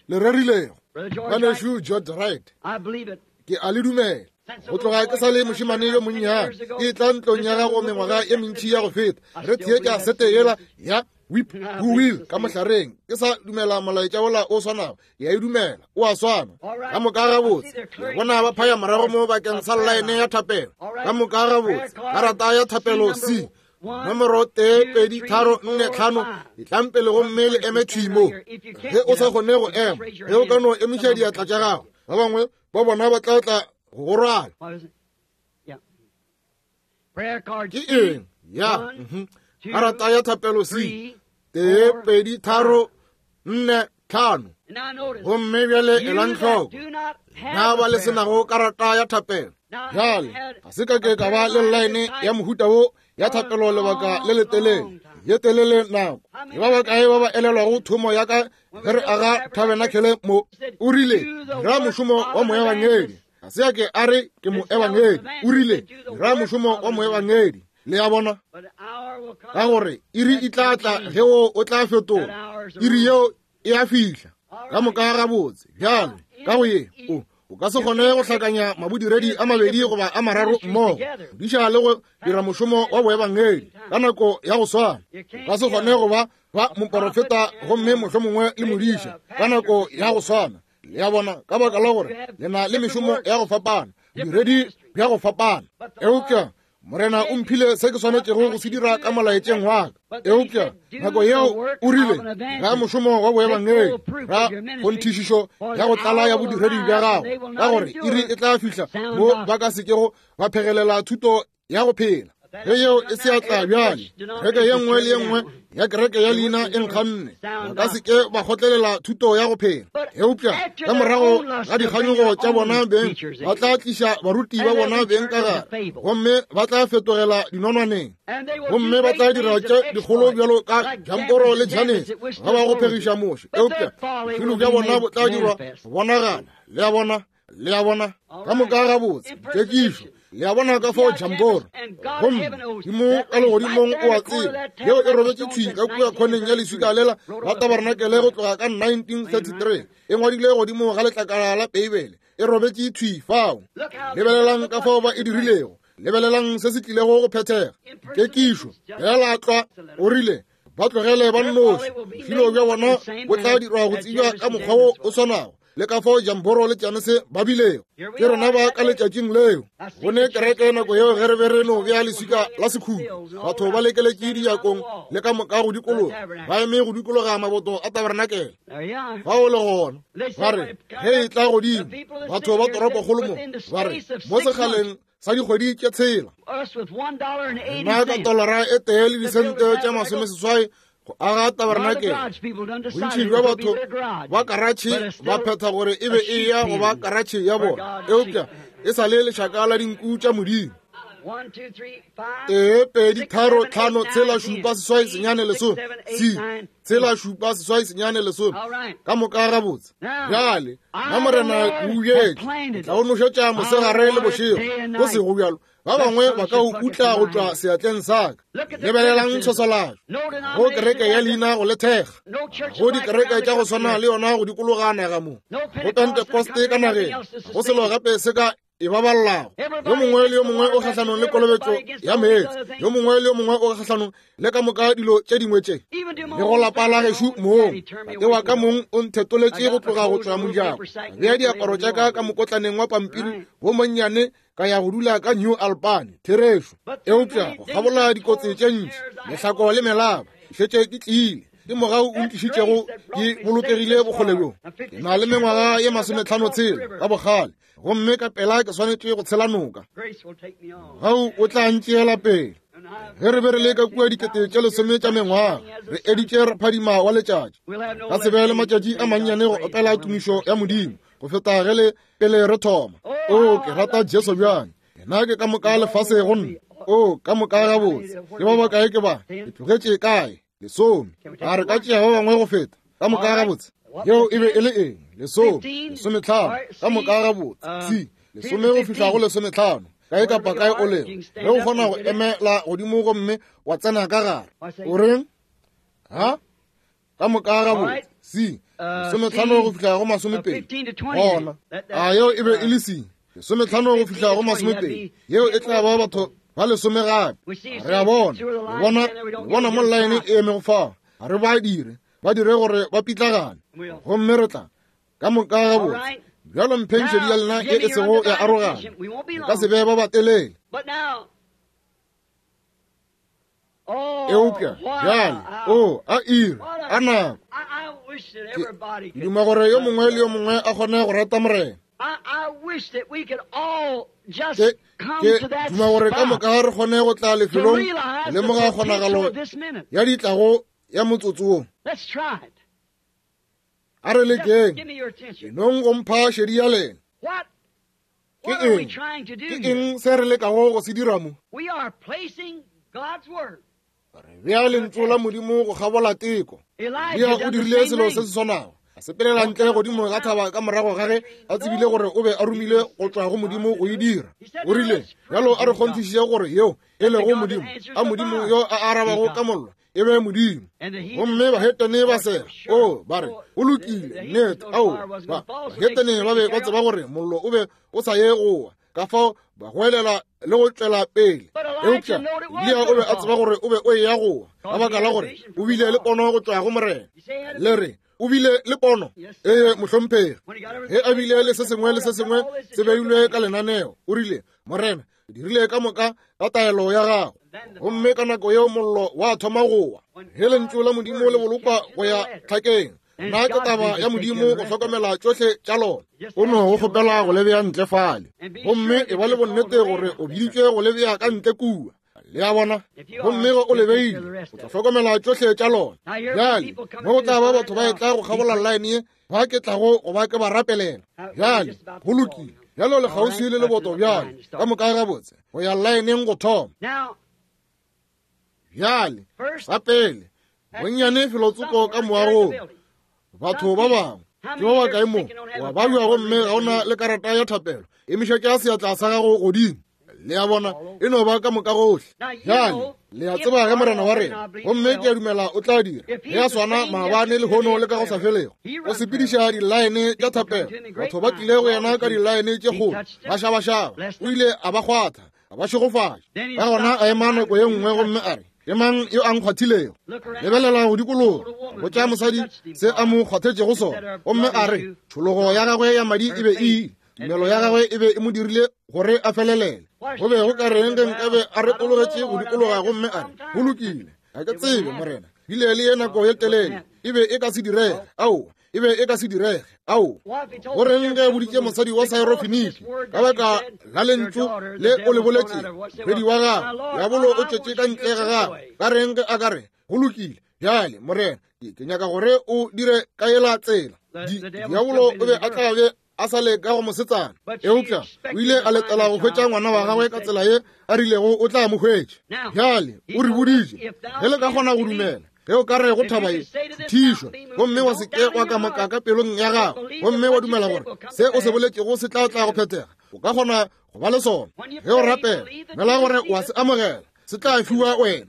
le rerilego. Ngwanešu George Wright, ke a le dumela. Go tloga ke sa le mošemane yo monnyane, ke tla ntlong ya gago mengwaga ye mentši ya go feta, re theetša sete yela ya Whip Who Will ka mohlareng. Ke sa dumela molaetša wola o swanago, ke a e dumela, o a swana. Ka moka gabotse, ke bona ba phaya morago mo bakeng sa llaene ya thapelo. Ka moka gabotse, karata ya thapelo C, nomoro 1 2 3 4 5, etlang pele gomme le eme thwi mo. Ge o sa kgone go ema, ge o ka no emiša diatla tša gago, ba bangwe ba bona ba tla tla go go rwala. Ke eng ya karata ya thapelo C, 1 2 3 4 5. Gomme bjale elang hloko, na ba le senago karata ya thapelo. Bjale ga se ka ke ka ba le llaene ya mohuta wo ya thapelo lebaka le letelele, ye telele nako. Ke ba bakae ba ba elelwago thomo ya ka ge re aga tabernacle mo? O rile, dira mošomo wa moebangedi. Ga se a ke a re ke moebangedi, o rile, dira mošomo wa moebangedi. Le a bona? Ka gore iri e tla tla ge wo o tla fetola, iri yeo e a fihla. Ka moka gabotse. Bjale ka go ye, o o ka se kgone go hlakanya mabodiredi a mabedi goba a mararo mmogo, diša le go dira mošomo wa boebangedi ka nako ya go swana. O ka se kgone go ba ba moporofeta gomme mohlomongwe le modiša ka nako ya go swana. Le a bona? Ka baka la gore le na le mešomo ya go fapana, bodiredi bja go fapana. Eupša Morena o mphile se ke swanetšego go se dira ka molaetšeng wa ka. Eupša nako yeo o rile, ra mošomo wa boebangedi, ra kgonthišišo ya go tlala ya bodiredi bja gago, ka gore iri e tla fihla mo ba ka sekego ba phegelela thuto ya go phela. Ge yeo e se ya tla bjale, kereke ye nngwe le ye nngwe ya kereke ya leina e nkganne, ba ka se ke ba kgotlelela thuto ya go phela. Eupša ka morago ga dikganyogo tša bona beng, ba tla tliša baruti ba bona beng ka gare, gomme ba tla fetogela dinonwaneng, gomme ba tla dira tše dikgolo bjalo ka Jamporo le Janese ga ba go phegiša Moshe. Eupša bošilo bja bona bo tla dirwa go bonagala. Le a bona? Le a bona? Ka moka gabotse, kekišo. Le a bona ka fao Jamboro, gomme Modimo ka legodimong o a tseba, yeo e robetše thwi ka kua khoneng ya leswika lela la tabarenakele go tloga ka 1933, e ngwadile godimo ga letlakala la Beibele, e robetše thwi fao. Lebelelang ka fao ba e dirilego, lebelelang se se tlilego go phethega. Kekišo, feela tlwa, o rile, ba tlogele ba nnoši, bošilo bja bona bo tla dirwa go tsebja ka mokgwa wo o swanago le ka fao Jamboro le Janese ba bilego. Ke rena ba ka letšatšing leo. Go ne kereke nako yeo ge re be re no bea leswika la sekhutlo, batho ba lekeletše dijakong le ka moka go dikologa, ba eme go dikologa maboto a tabarenakele. Fao le gona ba re, ge e tla godimo, batho ba toropokgolo mo ba re, mo sekgaleng sa dikgwedi tše tshela, rena ka tolara e tee le disente tše 80 go aga tabarenakele. Bontši bja batho ba karatšhe ba phetha gore e be e ya go ba karatšhe ya bona, eupša e sa le lešaka la dinku tša Modimo. 1, 2, 3, 5, 6, 7, 8, 9, 10. C, 6, 7, 8, 9, 10. Ka moka gabotse. Bjale, na Morena o ubjetše, tla o nošetša mosegare le bošego. Go sego bjalo, ba bangwe ba ka o utla go tšwa seatleng sa ka. Lebelelang tshwaswalatšo go kereke ya leina go le thekga, go dikereke tša go swana le yona go dikologa naga mo, go Pentekoste ka nageng, go selo gape se ka e baballago. Yo mongwe le yo mongwe o kgahlanong le kolobetšo ya meetse, yo mongwe le yo mongwe o kgahlanong le ka moka dilo tše dingwe tše. Le go lapa la gešo mong, tate wa ka mong o nthetoletše go tloga go tšwa mojako, ka bea diaparo tša ka ka mokotlaneng wa pampiri wo monnyane, ka ya go dula ka New Albany. Therešo. Eupša go kgabola dikotsi tše ntši, mehlako le melaba, ke šetše ke tlile. Ke mogau o ntlišitšego ke bolokegile bokgole bjo. Ke na le mengwaga ye 56 ka bokgale, gomme ka pela ke swanetše go tshela noka. Mogau o tla ntšeela pele. Ge re be re le ka kua 10,000 tša mengwaga, re editše re phadima wa letšatši. Ka se be le matšatši a mannyane go opela tumišo ya Modimo go feta ge le pele re thoma. O, ke rata Jesu bjang! Yena ke ka moka lefase go nna. O, ka moka gabotse. Ke ba bakae ke ba? Ke tlogetše kae? 10. A re ka tšea ba bangwe go feta? Ka moka gabotse. Yeo e be e le eng? 10, 15. Ka moka gabotse. C, 10 go fihla go 15. Kae kapa kae o lego, ge o kgona go emela godimo gomme wa tsena ka gare. O reng? Ha? Ka moka gabotse. C, 15 go fihla go 20. Gona a yeo e be e le C, 15 go fihla go 20. Yeo e tla ba batho ba 10 gape. Re a bona, bona, bona mo line e emego fao. Ga re ba dire, ba dire gore ba pitlagane, gomme re tla ka moka gabotse. Bjalo mpheng šedi ya lena ye e sego ya arogana, re ka se be ba batelele. Eupša bjale, o a iri, a nako. Ke duma gore yo mongwe le yo mongwe a kgone go rata Morena. Ke duma gore ka moka re kgone go tla lefelong go lemoga kgonagalo ya ditlago ya motsotso wo. A re lekeng, enong go mpha šedi ya lena. Ke eng? Ke eng se re lekago go se dira mo? Re bea lentšu la Modimo go kgabola teko. Elia o dirile selo se se swanago. A sepelela ntle godimo ga thaba ka morago ga ge a tsebile gore o be a romile go tšwa go Modimo go e dira. O rile, bjalo a re kgonthišiše gore yeo e lego Modimo, a Modimo yo a arabago ka mollo e be Modimo. Gomme bahetene ba sega, o ba re, go lokile, nnete, ao, ba bahetene ba be ba tseba gore mollo o be o sa ye go wa, ka fao ba goelela le go tšwela pele. Eupša Eliya o be a tseba gore o be o eya go wa, ka baka la gore o bile le pono go tšwa go Morena. Le re, o bile le pono? Ee, mohlomphegi. Ge a bile le se sengwe le se sengwe se beilwe ka lenaneo, o rile, Morena, ke dirile ka moka ka taelo ya gago. Gomme ka nako yeo mollo wa thoma go wa. Ge lentšu la Modimo le bolokwa go ya tlhakeng, nna ke taba ya Modimo go hlokomela tšohle tša lona. O no go kgopela go le bea ntle fale, gomme e ba le bonnete gore o biditšwe go le bea ka ntle kua. Le a bona? Gomme ge o le beile, o tla hlokomela tšohle tša lona. Bjale, mo go tla ba batho ba etla go kgabola line ye, ba ke tlago go ba ke ba rapelela. Bjale, go lokile. Bjalo le kgauswi le leboto bjale, ka moka gabotse, go ya laeneng go thoma. Bjale, sa pele, bonnyane felotsoko ka moagong, batho ba bangwe ke ba bakae mo wa babja gomme ga o na le karata ya thapelo, emišetša seatla sa gago godimo. Le a bona, e no ba ka moka gohle. Bjale, le a tseba ge Morena wa rena, gomme ke a dumela o tla dira, ge a swana maabane, lehono le ka go sa felego. O sepediša dilaene tša thapelo. Batho ba tlile go yena ka dilaene tše kgolo, ba šabašaba. O ile a ba kgwatha, a ba šegofatša. Ka gona a ema nako ye nngwe gomme a re, Ke mang yo a nkgwathilego? Lebelela go dikologa, botša mosadi se a mo kgwathetšego sona, gomme a re tšhologo ya gagwe ya madi e be e ile. Tumelo ya gagwe e be e mo dirile gore a felelele. Go be go ka reng ge nkabe a retologetše go dikologa gomme a re, Go lokile, ga ke tsebe, Morena, bile le ye nako ye telele. E be e ka se direge. Aowa, e be e ka se direge. Aowa. Go reng ge a boditše mosadi wa Syrophenike, ka baka la lentšu le o le boletše, morwedi wa gagwe, diabolo o tšwetše ka ntle ga gagwe. Ka reng ge a ka re, Go lokile, bjale, Morena, ke nyaka gore o dire ka yela tsela. Diabolo o be a tla be a sa le ka go mosetsana. Eupša o ile a letela go hwetša ngwana wa gagwe ka tsela ye a rilego o tla mo hwetša. Bjale o re boditše, ge le ka kgona go dumela, ge o ka re go thaba ye, thišwa, gomme wa se ke wa kamaka ka pelong ya gago, gomme wa dumela gore se o se boletšego se tla tla go phethega, o ka kgona go ba le sona. Ge o rapela, dumela gore wa se amogela, se tla fiwa wena.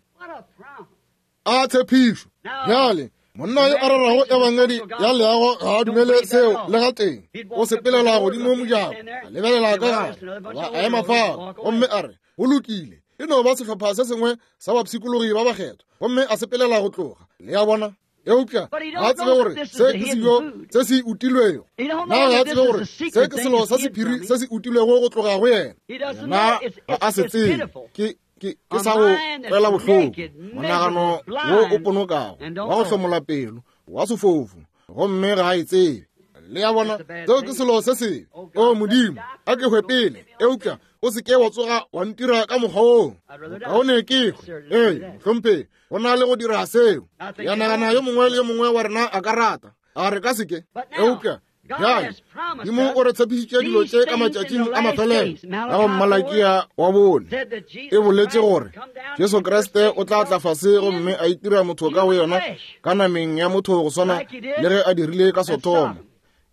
A tshepišo! Bjale, monna yo a rerago ebangedi ya leago ga a dumele seo le gatee. O sepelela godimo mojako, a lebelela ka gare, goba a ema fao, gomme a re, Go lokile, e no ba sehlopha se sengwe sa bapshikologi ba bakgethwa, gomme a sepelela go tloga. Le a bona? Eupša ga a tsebe gore se ke sejo se se utilwego. Na ga a tsebe gore se ke selo sa sephiri se se utilwego go tloga go yena? Yena ga a se tsebe. Ke, ke, ke sa go kwela bohloko, monagano wo o ponokago, wa go hlomola pelo, wa sefofu, gomme ga a e tsebe. Le a bona, seo ke selo se sebe. O Modimo, a ke hwe pele, eupša o se ke wa tsoga wa ntira ka mokgwa woo. Bokaone ke hwe. Ee, mohlomphegi, go na le go dira seo. Ke a nagana yo mongwe le yo mongwe wa rena a ka rata. A re ka se ke? Eupša bjale Modimo o re tshepišitše dilo tše ka matšatšing a mafelelo. Ka go Malakia wa bone e boletše gore Jesu Kriste o tla tla fase gomme a itira motho ka go yena ka nameng ya motho go swana le ge a dirile ka Sodoma.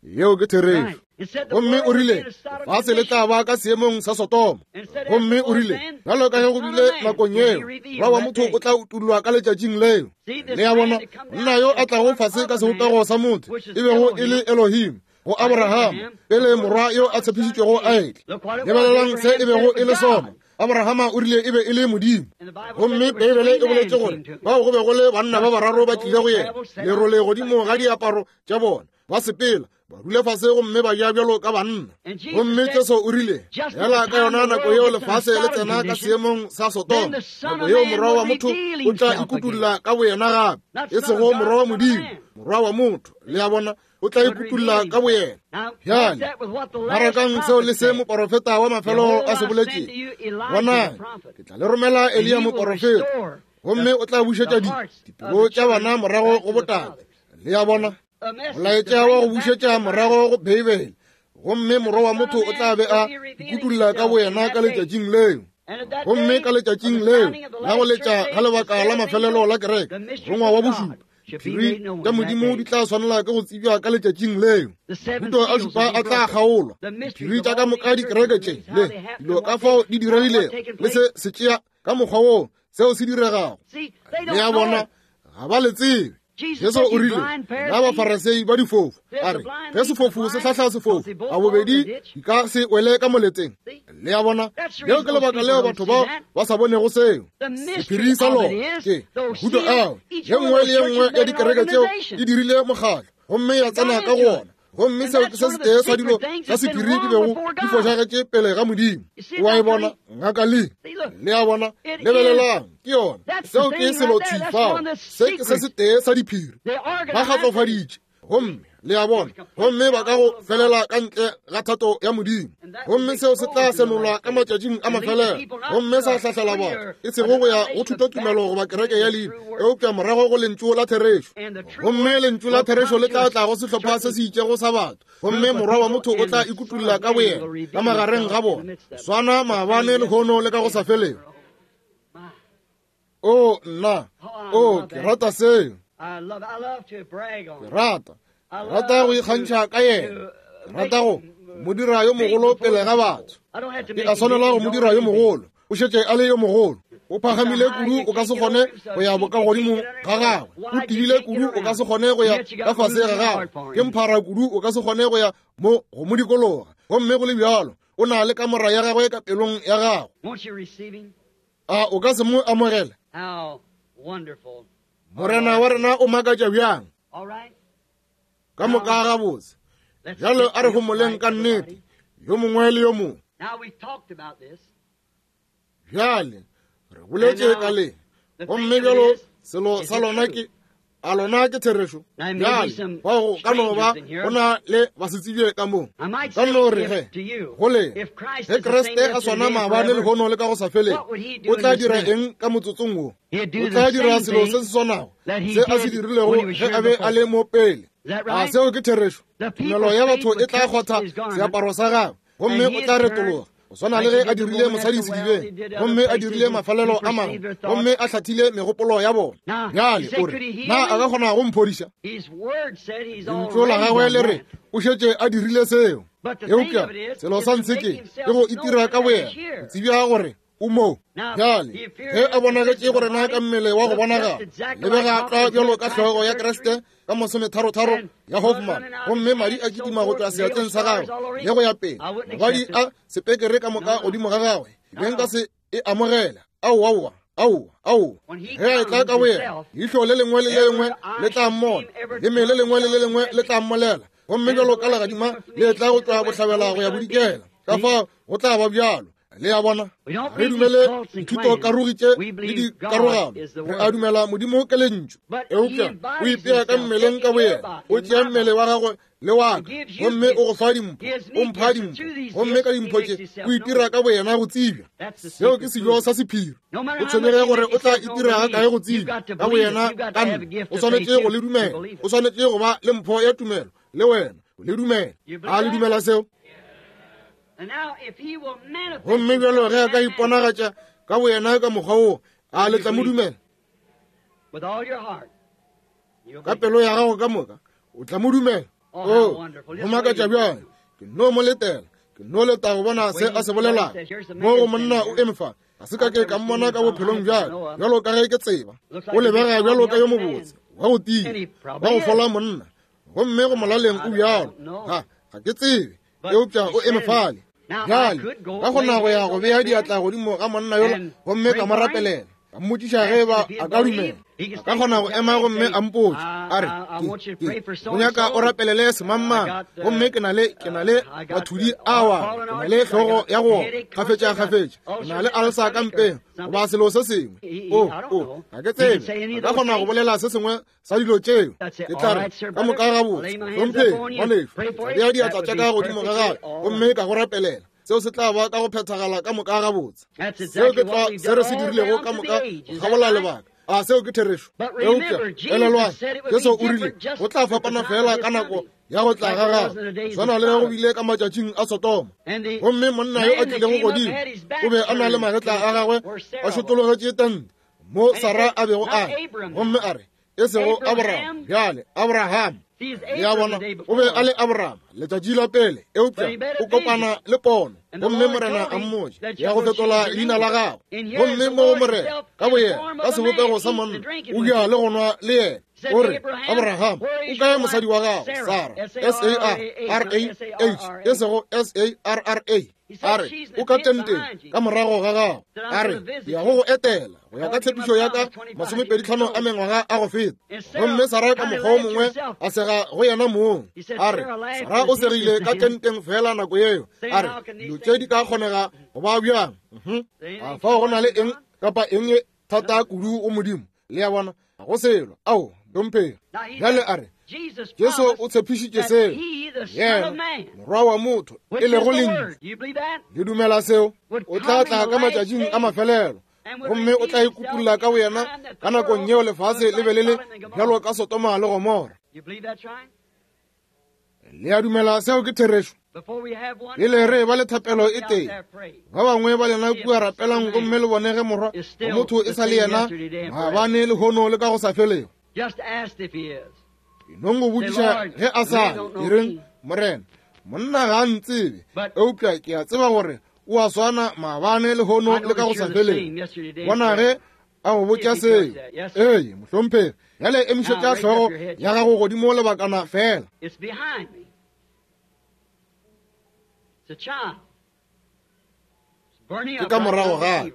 Yeo ke therešo. Gomme o rile lefase le tla ba ka seemong sa Sodoma. Gomme o rile bjalo ka ge go bile nakong yeo, Morwa wa motho o tla utollwa ka letšatšing leo. Le a bona, monna yo a tlago fase ka sebopego sa motho, e bego e le Elohim go Abrahama, pele morwa yo a tshepišitšwego a etla. Lebelelang se e bego e le sona. Abrahama o rile e be e le Modimo. Gomme Beibele e boletše gore bao go be go le banna ba bararo ba tlile go yena, lerole godimo ga diaparo tša bona, ba sepela ba dule fase gomme ba ja bjalo ka banna. Gomme Jesu o rile, fela ka yona nako yeo lefase le tsena ka seemong sa Sodoma, nako yeo Morwa wa motho o tla ikutulla ka boyena gape, e sego Morwa wa Modimo, Morwa wa motho, le a bona, o tla ikutulla ka boyena. Bjale marakang seo le se moporofeta wa mafelo a se boletšego, bonang, ke tla le romela Eliya moporofeta, gomme o tla bušetša dipelo tša bana morago go botate. Le a bona, molaetša wa go bušetša morago go Beibele, gomme Morwa wa motho o tla be a ikutulla ka boyena ka letšatšing leo. Gomme ka letšatšing leo la go letša ga lebaka la mafelelo la kereke, morongwa wa bošupa, diphiri tša Modimo di tla swanela ke go tsebja ka letšatšing leo. Mahuto a šupa a tla kgaolwa, diphiri tša ka moka dikereke tše le dilo ka fao di diregilego le se se tšea ka mokgwa woo seo se diregago. Le a bona, ga ba le tsebe. Jesu o rile, na Bafarasei ba difofu, a re, ge sefofu se hlahla sefofu, a bobedi di ka se wele ka moleteng. Le a bona, leo ke lebaka leo batho bao ba sa bonego seo. Sephiri sa lona ke mahuto ao, ye nngwe le ye nngwe ya dikereke tseo e dirile mokgatlo gomme ya tsena ka go ona. Gomme seo ke se setee sa dilo tša sephiri di bego di fošagetše pele ga Modimo. O a e bona, Ngaka Lee? Le a bona? Lebelelang, ke yona. Seo ke selo thwi fao. Se ke se setee sa diphiri. Ba kgatlofaditše. Gomme, le a bona, gomme ba ka go felela ka ntle ga thato ya Modimo. Gomme seo se tla senolwa ka matšatšing a mafelelo, gomme sa hlahlela batho, e sego go ya go thutotumelo goba kereke ya leina, eupša morago go Lentšu la therešo. Gomme Lentšu la therešo le tla tla go sehlopha se se itšego sa batho, gomme Morwa wa motho o tla ikutulla ka boyena ka magareng ga bona, swana maabane, lehono le ka go sa felego. O nna, o ke rata seo. Ke rata, rata go ikgantšha ka yena. Ke rata go mo dira yo mogolo pele ga batho. Ke a swanela go mo dira yo mogolo. O šetše a le yo mogolo. O phagamile kudu o ka se kgone go ya bokagodimo ga gagwe. O tibile kudu o ka se kgone go ya ka fase ga gagwe. Ke mphara kudu o ka se kgone go ya mo go mo dikologa. Gomme go le bjalo, o na le kamora ya gagwe ka pelong ya gago. A o ka se mo amogele? Morena wa rena o makatša bjang! Ka moka gabotse. Bjalo a re homoleng ka nnete, yo mongwe le yo mongwe. Bjale re boletše ka le, gomme bjalo selo sa lona ke a lona ke therešo. Bjale fao go ka no ba go na le basetsebje ka mo. Ka no re ge go le ge Kriste a swana maabane lehono le ka go sa felego, o tla dira eng ka motsotsong wo? O tla dira selo se se swanago se a se dirilego ge a be a le mo pele. A seo ke therešo? Tumelo ya batho e tla kgotha seaparo sa gagwe, gomme o tla retologa go swana le ge a dirile mosadi sedibeng, gomme a dirile mafelelo a mangwe, gomme a hlathile megopolo ya bona. Bjale o re, Na a ka kgona go mphodiša? Lentšu la gagwe le re o šetše a dirile seo. Eupša selo sa ntshe ke ke go itira ka boyena go tsebja gore o mo. Bjale ge a bonagetše go rena ka mmele wa go bonagala, lebega tlwa bjalo ka hlogo ya Kriste ka masometharotharo ya Hoffman, gomme madi a kitima go tšwa seatleng sa gagwe le go ya pele, mobadi a sepekere ka moka godimo ga gagwe, be nka se e amogela. Aowa, aowa, aowa, aowa. Ge a etla ka boyena, leihlo le lengwe le le lengwe le tla mmona, leme le lengwe le le lengwe le tla mmolela, gomme bjalo ka legadima le etla go tšwa bohlabela go ya bodikela, ka fao go tla ba bjalo. Le a bona, re dumele dithutokarogi tše le dikarogano, re a dumela Modimo ke Lentšu. Eupša o ipea ka mmeleng ka boyena, o tšea mmele wa gagwe le wa ka, gomme o go fa dimpho, o mpha dimpho, gomme ka dimpho tše o itira ka boyena go tsebja. Seo ke sejo sa sephiri. O tshwenyege gore o tla itira ga kae go tsebja ka boyena ka nna. O swanetše go le dumela. O swanetše go ba le mpho ya tumelo le wena, o le dumela. A le dumela seo? Gomme bjalo ge a ka iponagatša ka boyena ka mokgwa wo, a le tla mo dumela? Ka pelo ya gago ka moka o tla mo dumela. O go makatša bjang! Ke no mo letela, ke no leta go bona se a se bolelago. Mo go monna o eme fa, ga se ka ke ka mmona ka bophelong bjaka, bjalo ka ge ke tseba. O lebega bjalo ka yo mobotse, wa go tia, wa go fola monna, gomme go molaleng o bjalo. Ga, ga ke tsebe, eupša o eme fale. Bjale, ka kgona go ya go bea diatla godimo ga monna yola gomme ka mo rapelela, ka mmotšiša ge eba a ka dumela. A ka kgona go ema gomme a mpotša, a re, Ke, ke go nyaka o rapelele semangmang, gomme ke na le, ke na le mathudi awa, ke na le hlogo ya go kgafetša kgafetša, ke na le alsa ka mpeng, goba selo se sengwe. O, o, ga ke tsebe. A ka kgona go bolela se sengwe sa dilo tšeo. Ke tla re, Ka moka gabotse, hlompheng, ngwanešu, tla bea diatla tša ka godimo ga gagwe gomme ka go rapelela. Seo se tla ba ka go phethagala ka moka gabotse. Seo ke tlwa se re se dirilego ka moka go kgabola lebaka. A seo ke therešo? Eupša elelwang, Jesu o rile go tla fapana feela ka nako ya go tla ga gagwe, swana le go bile ka matšatšing a Sodoma. Gomme monna yo a tlilego godimo o be a na le magetla a gagwe a šotologetše tente mo Sara a bego a le, gomme a re, e sego Abraham, bjale Abraham. Le a bona, o be a le Abraham letšatši la pele, eupša o kopana le pono, gomme Morena a mmotša ya go fetola leina la gagwe. Gomme mo go Morena ka boyena ka sebopego sa monna o ja le go nwa le yena. O re, Abraham, o kae mosadi wa gago Sara? S-A-R-R-A-H, e sego S-A-R-R-A. A re, O ka tenteng ka morago ga gago. A re, Ke ya go go etela go ya ka tshepišo ya ka masomepeditlhano a mengwaga a go feta. Gomme Sara ka mokgwa o mongwe a sega go yena mong. A re, Sara o segile ka tenteng fela nako yeo. A re, Dilo tše di ka kgonega go ba bjang? A fao go na le eng kapa eng e thata kudu go Modimo? Le a bona, ga go selo. Ao, dompheng. Bjale a re, Jesu o tshepišitše seo, yena Morwa wa motho, e lego Lentšu. Le dumela seo? O tla tla ka matšatšing a mafelelo, gomme o tla ikutulla ka boyena ka nakong yeo lefase le be le le bjalo ka Sodoma le Gomora. Le a dumela seo ke therešo? Pele re ba le thapelo e tee, ba bangwe ba lena kua rapelang gomme le bone ge Morwa wa motho e sa le yena maabane, lehono le ka go sa felego. Enong go botšiša ge a sa le, e reng, Morena, monna ga a ntsebe, eupša ke a tseba gore o a swana maabane, lehono le ka go sa felego. Bona ge a go botša seo. Ee, mohlomphegi. Bjale emišetša hlogo ya gago godimo lebakana feela. Ke ka morago ga ka,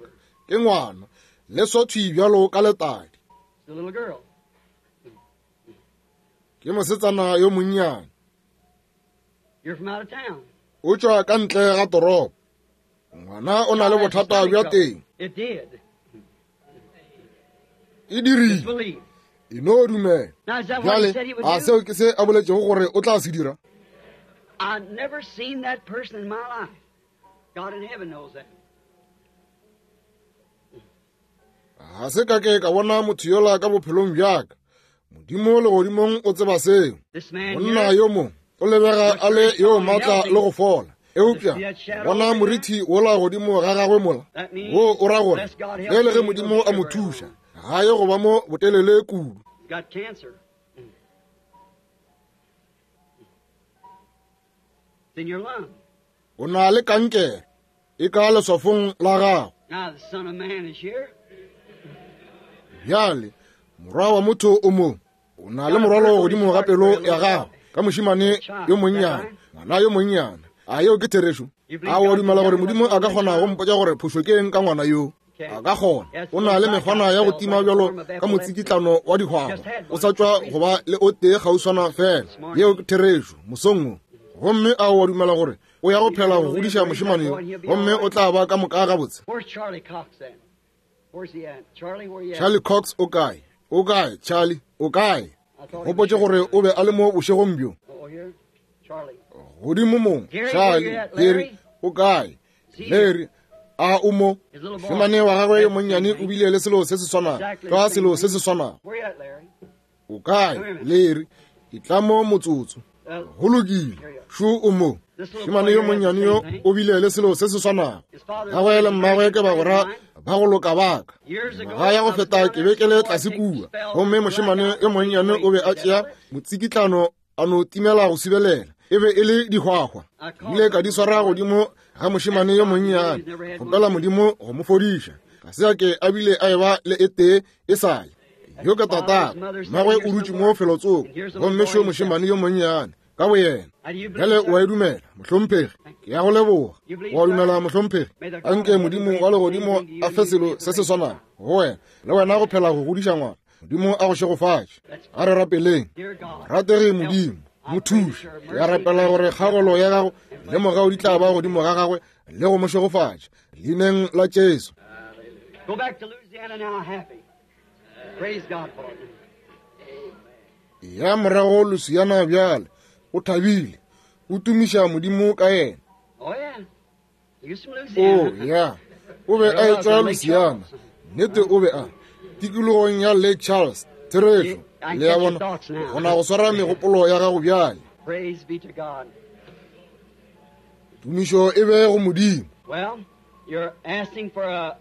ke ngwana, le swathwi bjalo ka letadi. Ke mosetsana yo monnyane. O tšwa ka ntle ga toropo. Ngwana o na le bothata bja teng. E dirile. E no dumela. Bjale, a seo ke se a boletšego gore o tla se dira?
I've never seen that person in my life. God in heaven knows that.
Ga se ka ke ka bona motho yola ka bophelong bjaka. Modimo legodimong o tseba seo. Monna yo mo o lebega a le yo maatla le go fola, eupša bona morithi wola godimo ga gagwe mola, wo o ra gore ge le ge Modimo a mo thuša, ga ye go ba mo botelele kudu. O na le kankere e ka leswafong la gago. Bjale morwa wa motho o mo, o na le morwalo godimo ga pelo ya gago ka mošemane yo monnyane, ngwana yo monnyane. A yeo ke therešo? A o dumela gore Modimo a ka kgona go mpotša gore phošo ke eng ka ngwana yo? A ka kgona. O na le mekgwana ya go tima bjalo ka motsikitlano wa dihwahwa, o sa tšwa go ba le o tee kgauswana fela. Yeo ke therešo, mosong wo. Gomme a o dumela gore o ya go phela go godiša mošemane yo, gomme o tla ba ka moka gabotse? Charlie Cox o kae? O kae, Charlie? O kae? Gopotše gore o be a le mo bošegong bjo. Godimo mo, Charlie, Harry, o kae? Larry, a o mo? Mošemane wa gagwe yo monnyane o bile le selo se se swanago, tlwa selo se se swanago. O kae, Larry? Etla mo motsotso. Go lokile, šo o mo. Mošemane yo monnyane yo o bile le selo se se swanago. Gagwe le mmagwe ke bagwera ba go loka ba ka. Ngwaga ya go feta ke be ke le tlase kua, gomme mošemane yo monnyane o be a tšea motsikitlano a no timela go sibelela. E be e le dihwahwa. Ke ile ka di swara godimo ga mošemane yo monnyane, kgopela Modimo go mo fodiša. Ga se a ke a bile a eba le e tee e sale. Yo ke tatagwe, mmagwe o dutše mo felotsoko, gomme šo mošemane yo monnyane ka boyena. Bjale o a e dumela, mohlomphegi? Ke ya go leboga. O a dumela, mohlomphegi? Anke Modimo wa legodimo a fe selo se se swanago go wena, le wena go phela go godiša ngwana. Modimo a go šegofatše. A re rapeleng. Rategi Modimo, mo thuše. Ke a rapela gore kgagolo ya gago le mogau di tla ba godimo ga gagwe le go mo šegofatša. Leineng la Jesu.
Go back to Louisiana now happy. Praise God for it.
Ya morago Louisiana bjale, o thabile, o tumiša Modimo ka yena.
Oh yeah.
O ya, o be a etšwa Louisiana. Nnete o be a tikologong ya Lake Charles. Therešo, le a bona, gona go swara megopolo ya gago bjale.
Praise be to God.
Tumišo e be go Modimo.
Well, you're asking for a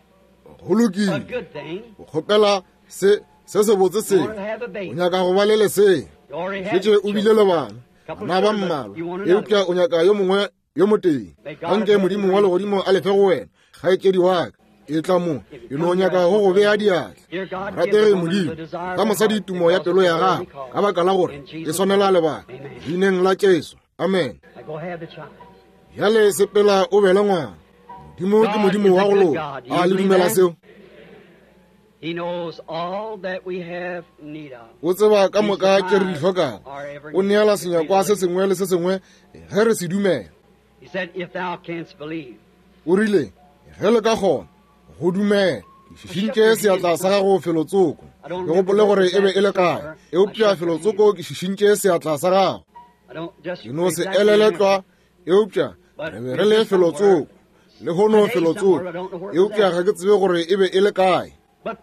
Go lokile,
a good thing.
o kgopela se se sebotse se.
You want to have a baby.
O nyaka go ba le lesea.
You already have
Šetše o bile le bana,
Couple
bana ba
children, but
mmalwa,
you want another.
eupša o nyaka yo mongwe yo motee. Anke Modimo wa legodimo a lefe go wena, kgaetšedi wa ka. E tla mo, e no nyaka go go bea diatla.
Dear God, give
Ratege
the woman
Modimo,
the desire of
fa
her
mosadi
heart
tumo ya
because
pelo
of
ya
the
gagwe,
worthy cause.
ka baka la gore
In
e
Jesus'
swanela
name.
lebaka.
Amen.
Leineng la Jesu. Amen.
Now go have the child.
Bjale sepela o be le ngwana. Modimo ke
God
Modimo
is
wa
a
go
good
loka.
God. Do
A
you
le
believe
dumela
that?
seo?
He knows all that we have need of.
O tseba ka
He
moka tše re di
supplies
hlokago.
our every
O neela
need.
senyakwa se sengwe le se sengwe ge re se dumela.
He said, if thou canst believe.
O rile, ge le ka kgona go dumela. Ke šišintše seatla sa gago felotsoko.
I don't
Ke
remember
gopole
where
gore
it
e be
was
e le
at
kae,
somewhere. I
eupša
shook your hand.
felotsoko ke šišintše seatla sa gago.
I don't just
Ke no se
exactly
elele
remember.
tlwa, eupša
But
re be
it
re
was
le
just somewhere.
felotsoko. Lehono
Today
felotsoko,
somewhere, I don't know where it was
eupša
at.
ga ke tsebe gore e be e le kae.
But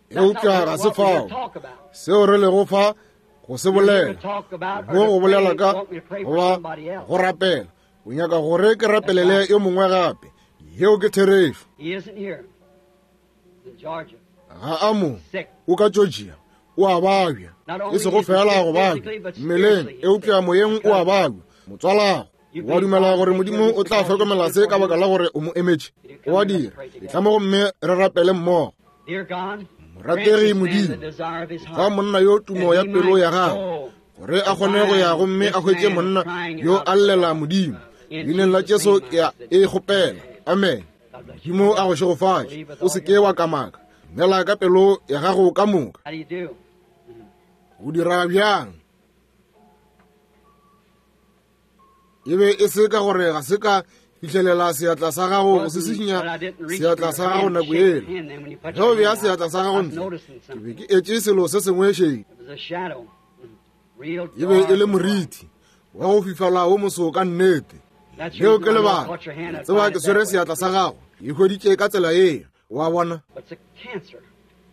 that's not
Eupša ga
what
se
we're here
fao
to talk about.
seo re lego fa go se
We're here to
bolela,
talk about or
mo
to
go bolela
pray,
ka
want me to pray for
goba
somebody else.
go rapela. O nyaka gore ke
That's
rapelele
right.
yo mongwe gape. Yeo ke therešo.
He isn't here. He's in Georgia.
Ga a mo,
Sick.
o ka Georgia, o a babja.
Not
E
only
sego
is he
fela
sick
go babja
physically, but
mmeleng,
spiritually he's
eupša
sick.
moyeng o a babja. Motswalago,
You
wa
believe
dumela
God
gore
will take
Modimo
care of
o
this
tla
because you
hlokomela
stood
se
for
ka
him?
baka la gore o mo emetše?
Did you
O
come
a
and let's
dira.
pray
E
together?
tla mo gomme re rapele mmogo.
Dear God, grant
Morategi
this man the
Modimo,
desire of his
fa
heart,
monna yo tumo
that
ya
he
pelo
might
ya gagwe,
go
gore a
and
kgone go ya
find
gomme a
this
hwetše
man
monna
crying
yo
out
a
for
llela
God.
Modimo.
In
Leineng la
Jesus'
Jesu
name
ke a
I said,
e kgopela. Amen.
God bless you.
Modimo a go šegofatše.
Believe with
O
all
se
your
ke wa
heart.
kamaka. Dumela ka pelo ya gago ka moka.
How do you do?
O dira bjang? E be e se ka gore ga se ka fihlelela seatla sa gago go se
Wasn't,
sišinya
but I didn't reach for
seatla
your
sa gago
hand,
nako
shake your
yela.
hand then when you put
Ge o
your
bea
hand out.
seatla sa
I
gago
was
ntle,
noticing
ke be
something.
ke etše selo se sengwe šedi.
It was a shadow. Real
E be e
dark
le
and black.
morithi wa go fifala wo moso ka nnete.
That's the
Leo
reason
ke
I know I
lebaka.
caught your hand.
Ke
I'd
tseba
find
ke
it
swere
that way.
seatla sa gago. E hweditše ka tsela yeo. Wa bona?
But it's a cancer.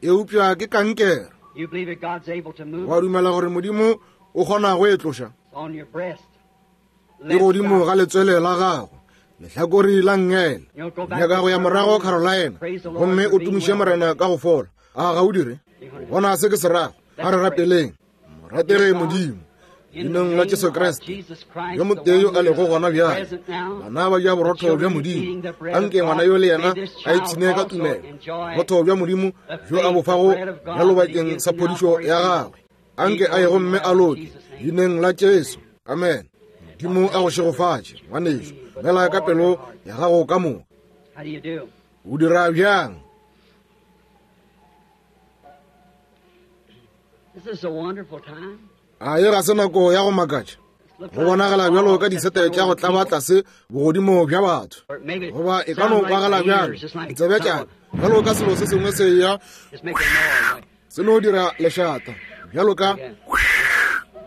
Eupša ke kankere. Wa dumela gore Modimo o kgona go e tloša? E godimo ga letswele la gago, lehlakori la nngele. Nyaka go ya morago Carolina gomme o tumiše Morena ka go fola. A ga o dire? Bona se ke se rago. A re rapeleng. Morategi Modimo, leineng la Jesu Kriste, yo motee yo a lego gona bjale, bana ba ja borotho bja Modimo. Anke ngwana yo le yena a ipshine ka tumelo, borotho bja Modimo bjo a bo fago bjalo bakeng sa phodišo ya gagwe. Anke a ye gomme a loke, leineng la Jesu. Amen. Modimo a go šegofatše, ngwanešu. Dumela ka pelo ya gago ka moka. O dira bjang? A ye ga se nako ya go makatša? Go bonagala bjalo ka disete tša go tlaba tlase bogodimo bja batho, goba e ka no kwagala bjalo ditsebe tša bjalo ka selo se sengwe se ya se no dira lešata bjalo ka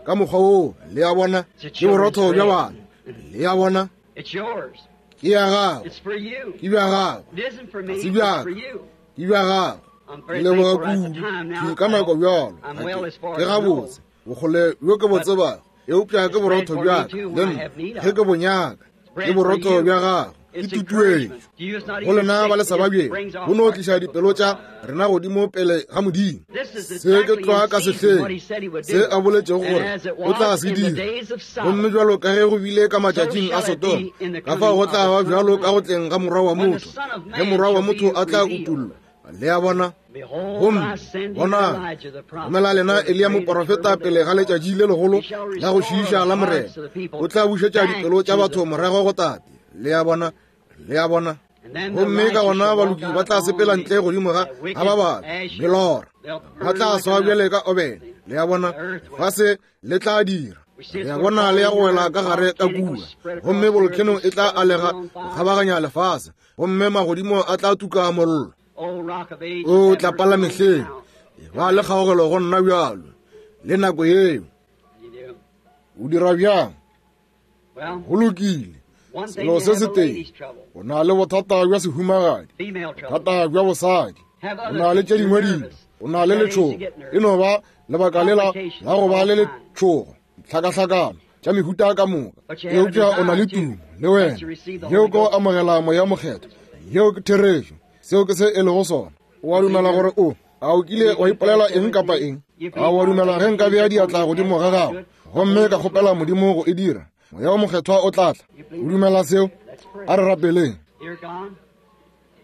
ka mokgwa woo. Le a bona, ke borotho bja bana. Le a bona, ke ya gago, ke bja gago, ga se bja ka, ke bja gago. Ke leboga kudu ke ka nako bjalo. Ke gabotse bokgole bjo ke bo tsebago, eupša ke borotho bja ka le nna ge ke bo nyaka. Ke borotho bja gago, ke tutuetšo go lena ba le sa babjeng, go no tliša dipelo tša rena godimo pele ga Modimo. Se ke tlwa ka sehleng se a boletšego gore o tla se dira. Gomme bjalo ka ge go bile ka matšatšing a Sodoma, ka fao go tla ba bjalo ka go tleng ga Morwa wa motho, ge Morwa wa motho a tla utollwa. Le a bona? Gomme bonang, romela lena Eliya moporofeta pele ga letšatši le legolo la go šiiša la Morena. O tla bušetša dipelo tša batho morago go Tate. Le a bona? Le a bona? Gomme ka gona baloki ba tla sepela ntle godimo ga ga ba babe melora, ba tla swa bjale ka obene. Le a bona? Lefase le tla dira. Le a bona, le ya go wela ka gare ka kua, gomme bolokeno e tla alega go kgabaganya lefase, gomme magodimo a tla tuka mollo. O tlapa la mehleng, e ba le kgaogelo go nna bjalo le nako yeo. O dira bjang? Go lokile. Selo se setee, o na le bothata bja sehumagadi, bothata bja bosadi, o na le tše dingwe dilo, o na le letšhogo. E no ba lebaka lela la go ba le letšhogo, tlhakahlakano tša mehuta ka moka, eupša o na le tumo le wena, yeo ke go amogela Moya Mokgethwa. Yeo ke therešo. Seo ke se e lego sona. O a dumela gore o a o kile wa ipolela eng kapa eng? A o a dumela ge nka bea diatla godimo ga gago gomme ka kgopela Modimo go e dira, Moya wo Mokgethwa o tla tla? O dumela seo? A re rapeleng.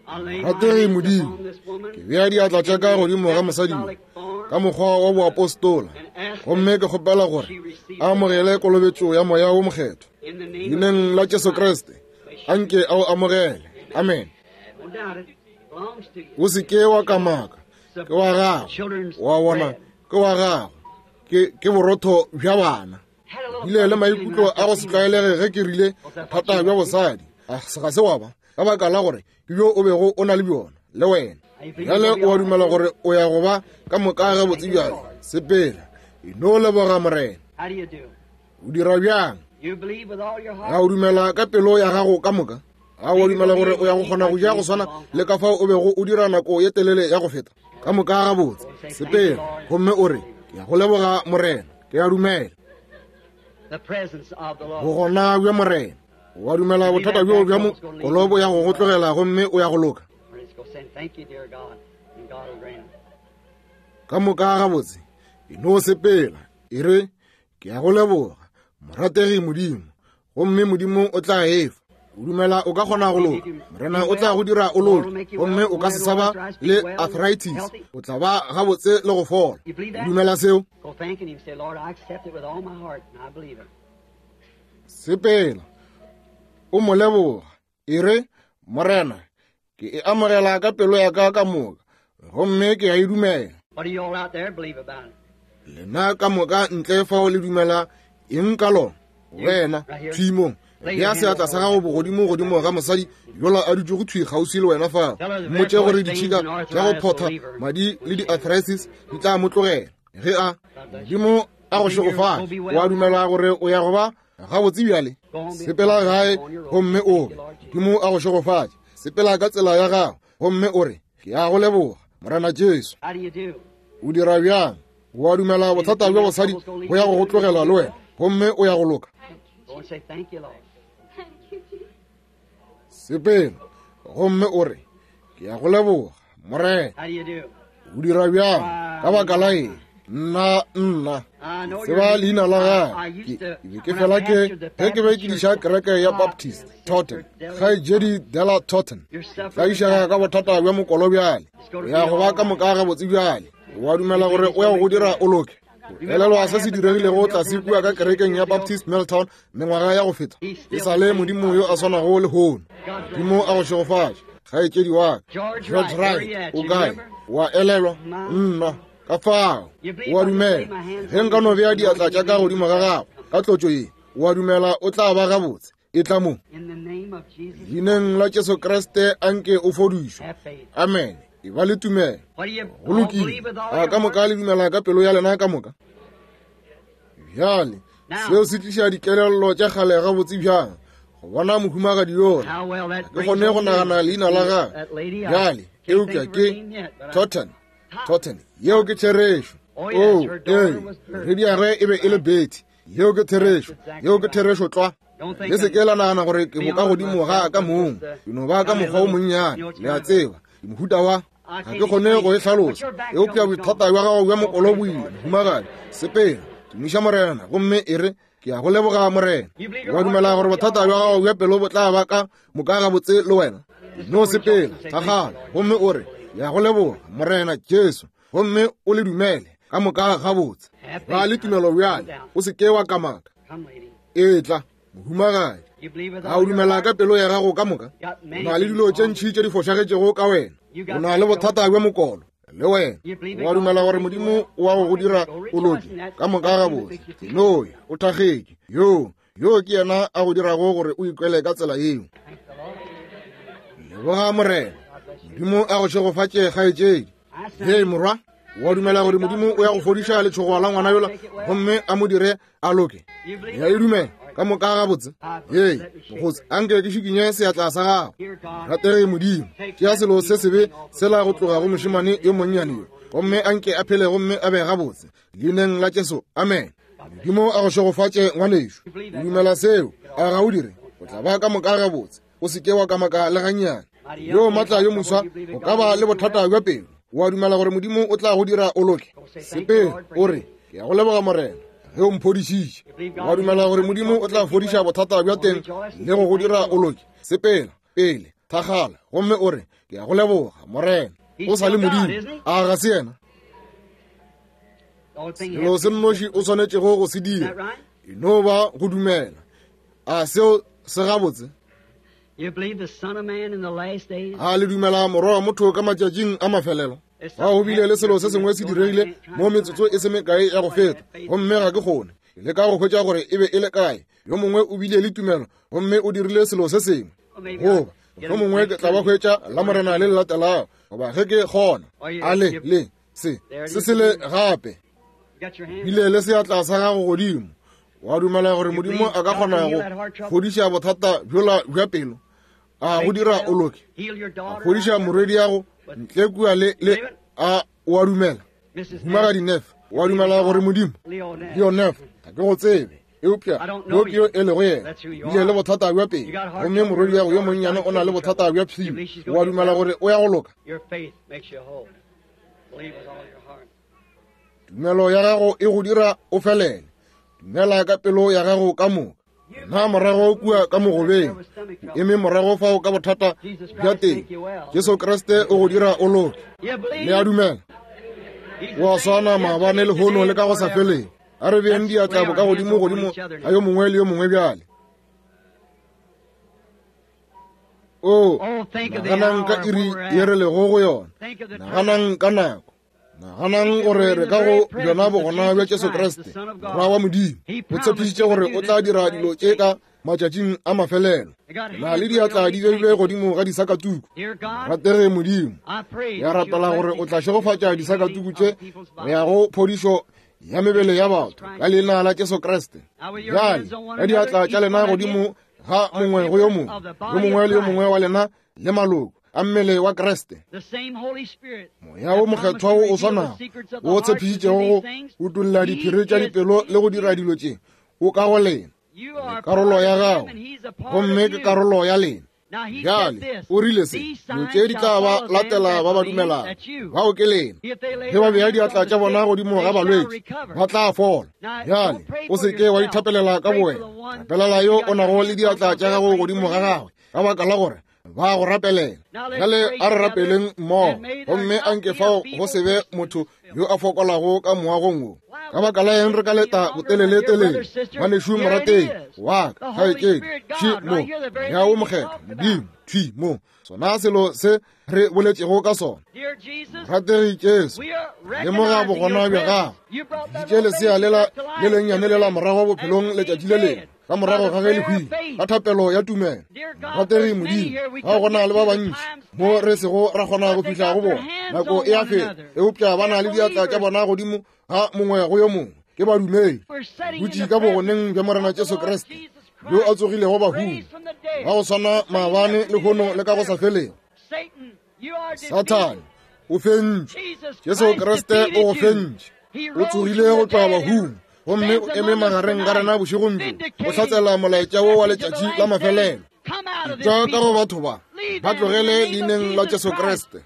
Rategi Modimo, ke bea diatla tša ka godimo ga mosadi yo ka mokgwa wa boapostola, gomme ke kgopela gore a amogele kolobetšo ya Moya wo Mokgethwa. Leineng la Jesu Kriste, anke a o amogele. Amen. O se ke wa kamaka, ke wa gago. Wa bona, ke wa gago. Ke, ke borotho bja bana. Bile le maikutlo a go se tlwaelege ge ke rile thata bja bosadi. Ga se wa ba, ka baka la gore ke bjo o bego o na le bjona le wena. Bjale o a dumela gore o ya go ba ka moka gabotse bjale. Sepela, e no leboga Morena. O dira bjang? A o dumela ka pelo ya gago ka moka? A o dumela gore o ya go kgona go ja go swana le ka fao o bego o dira nako ye telele ya go feta? Ka moka gabotse, sepela gomme o re, Ke ya go leboga Morena, ke a dumela. Bogona bja Morena. O a dumela bothata bjoo bja mokolo bo ya go go tlogela gomme o ya go loka? Ka moka gabotse, e no sepela, e re, Ke a go leboga, morategi Modimo, gomme Modimo o tla e fa. O dumela o ka kgona go loka, Morena o tla go dira o loke, gomme o ka se sa ba le arthritis, o tla ba gabotse le go fola. O dumela seo? Sepela, o mo leboga, e re, Morena, ke e amogela ka pelo ya ka ka moka, gomme ke a e dumela. Lena ka moka ntle fao le dumela eng ka lona? Wena, thwi mo, bea seatla sa gago bogodimo godimo ga mosadi yola a dutšego thwi kgauswi le wena fao. Mmotše gore ditšhika tša go photha madi le di-arthritis di tla mo tlogela ge a Modimo a go šegofatše. O a dumela gore o ya go ba gabotse bjale? Sepela gae gomme o re, Modimo a go šegofatše. Sepela ka tsela ya gago gomme o re, Ke a go leboga, Morena Jesu. O dira bjang? O a dumela bothata bja bosadi bo ya go go tlogela le wena, gomme o ya go loka? Sepela gomme o re, Ke ya go leboga, Morena. O dira bjang? Ka baka la eng? Nna, nna, ke tseba leina la gagwe. Ke be ke fela ke ge ke be ke diša kereke ya Baptist Totten, kgaetšedi Della Totten. Tlaišega ka bothata bja mokolo bjale. O ya go ba ka moka gabotse bjale. O a dumela gore o ya go go dira o loke? Elelwa se se diregilego tlase kua ka kerekeng ya Baptist Milltown mengwaga ya go feta. E sa le Modimo yo a swanago lehono. Modimo a go šegofatše, kgaetšedi wa ka. George Wright, o kae? Wa elelwa? Nna, ka fao. O a dumela. Ge nka no bea diatla tša ka godimo ga gago ka tlotšo ye, o a dumela o tla ba gabotse. E tla mo. Leineng la Jesu Kriste a nke o fodišwe. Amen. E ba le tumelo. Go lokile. A ka moka le dumela ka pelo ya lena ka moka? Bjale, seo se tliša dikelello tša kgale gabotse bjang go bona mohumagadi yola. Ke kgone go nagana leina la gagwe bjale, eupša ke Totten. Totten, yeo ke therešo. Oh, ee, morwediagwe e be e le Betty. Yeo ke therešo. Yeo ke therešo tlwa. Le se ke la nagana gore ke bokagodimo ga ka mong. Ke no ba ka mokgwa o monnyane, le a tseba. Ke mohuta wa ga ke kgone go e hlalosa. Eupša bothata bja gago bja mokolo bo ile, mohumagadi. Sepela, tumiša Morena, gomme e re, Ke a go leboga, Morena. Wa dumela gore bothata bja gago bja pelo bo tla ba ka moka gabotse le wena? No sepela, thakgala, gomme o re, Ke a go leboga, Morena Jesu, gomme o le dumele ka moka gabotse. Ba le tumelo bjale, o se ke wa kamaka. Etla, mohumagadi. A o dumela ka pelo ya gago ka moka? O na le dilo tše ntši tše di fošagetšego ka wena. O na le bothata bja mokolo le wena. O a dumela gore Modimo o wa go go dira o loke ka moka gabotse? Noya, o thakgetše. Yoo, yoo ke yena a go dirago gore o ikwele ka tsela yeo. Leboga Morena. Modimo a go šegofatše, kgaetšedi. Hei morwa, wa dumela gore Modimo o ya go fodiša letšhogo la ngwana yola gomme a mo dire a loke? Ya e dumela ka moka gabotse. Hei mokgotsi, anke ke šikinye seatla sa gago. Ratege Modimo, tšea selo se sebe sela go tloga go mošemane yo monnyane yo, gomme anke a phele gomme a be gabotse. Leineng la Jesu, amen. Modimo a go šegofatše, ngwanešu. O dumela seo, a ga o dire? O tla ba ka moka gabotse. O se ke wa kamaka le gannyane. Yo matla yo moswa, o ka ba le bothata bja pelo. O a dumela gore Modimo o tla go dira o loke? Sepela, o re, Ke a go leboga, Morena, ge o mphodišitše. O a dumela gore Modimo o tla fodiša bothata bja teng le go go dira o loke? Sepela pele, thakgala, gomme o re, Ke a go leboga, Morena. O sa le Modimo, a ga se yena? Selo se nnoši o swanetšego go se dira e no ba go dumela. A seo se gabotse? A le dumela Morwa wa motho ka matšatšing a mafelelo? Ga go bile le selo se sengwe se diregile mo metsotso e se mekae ya go feta, gomme ga ke kgone le ka go hwetša gore e be e le kae. Yo mongwe o bile le tumelo gomme o dirile selo se sengwe, goba mohlomongwe ke tla ba hwetša la Morena le le latelago, goba ge ke kgona. A le le se se sele gape bile le seatla sa gago godimo, wa dumela gore Modimo a ka kgona go fodiša bothata bjola bja pelo, a go dira o loke, a fodiša morwedi yago ntle kua le le a o a dumela? Mohumagadi Neff, wa dumela gore Modimo? Leo Neff, ga ke go tsebe, eupša yo ke yo e lego yena. Bile le bothata bja pelo, gomme morwedi yago yo monnyane o na le bothata bja pshio. Wa dumela gore o ya go loka? Tumelo ya gago e go dira o felele. Dumela ka pelo ya gago ka moka. Na morago kua ka mogobeng, o eme morago fao ka bothata bja teng, Jesu Kriste o go dira o loke. Le a dumela? O a swana maabane, lehono le ka go sa feleng. A re beeng diatla boka godimo godimo ga yo mongwe le yo mongwe bjale. O, naganang ka iri ye re lego go yona. Naganang ka nako. Naganang gore re ka go bjona bogona bja Jesu Kriste, Morwa wa Modimo. O tshepišitše gore o tla dira dilo tše ka matšatšing a mafelelo. Na le diatla di beilwe godimo ga disakatuku. Ratege Modimo, ke a rapela gore o tla šegofatša disakatuku tše go ya go phodišo ya mebele ya batho ka leina la Jesu Kriste. Bjale, ka diatla tša lena godimo ga mongwe go yo mongwe, yo mongwe le yo mongwe wa lena le maloko. a mmele wa Kriste. Moya wo Mokgethwa wo o swanago wo o tshepišitšego go utolla diphiri tša dipelo le go dira dilo tše, o ka go lena. Le karolo ya gago, gomme ke karolo ya lena. Bjale, o rile se, dilo tše di tla ba latela ba ba dumelago. Bao ke lena. Ge ba bea diatla tša bona godimo ga balwetši, ba tla fola. Bjale, o se ke wa ithapelela ka bowena. Rapelela yo o nago le diatla tša gago godimo ga gagwe, ka baka la gore ba go rapelela. Bjale a re rapeleng mmogo, gomme a nke fao go se be motho yo a fokolago ka moagong wo. Ka baka la eng re ka leta boteleletelele? Ngwanešu morategi wa ka, kgaetšedi, thwi mo, Moya wo Mokgethwa, Modimo, thwi mo, sona selo se re boletšego ka sona. Morategi Jesu, lemoga bogona bja gago. Bitše lesea lela le lennyane lela morago bophelong letšatši le lengwe, ka morago ga ge le hwile, ka thapelo ya tumelo. Morategi Modimo, ga go na le ba bantši mo re sego ra kgona go fihla go bona, nako e a feta, eupša ba na le diatla tša bona godimo ga mongwe go yo mongwe. Ke badumedi, dutše ka bogoneng bja Morena Jesu Kriste, yo a tsogilego bahung, ba go swana maabane, lehono le ka go sa felego. Sathane, o fentše. Jesu Kriste o go fentše. O tsogile go tloga bahung, gomme o eme magareng ga rena bošegong bjo, o hlatsela molaetša wo wa letšatši la mafelelo. Tšwa ka go batho ba, ba tlogele leineng la Jesu Kriste.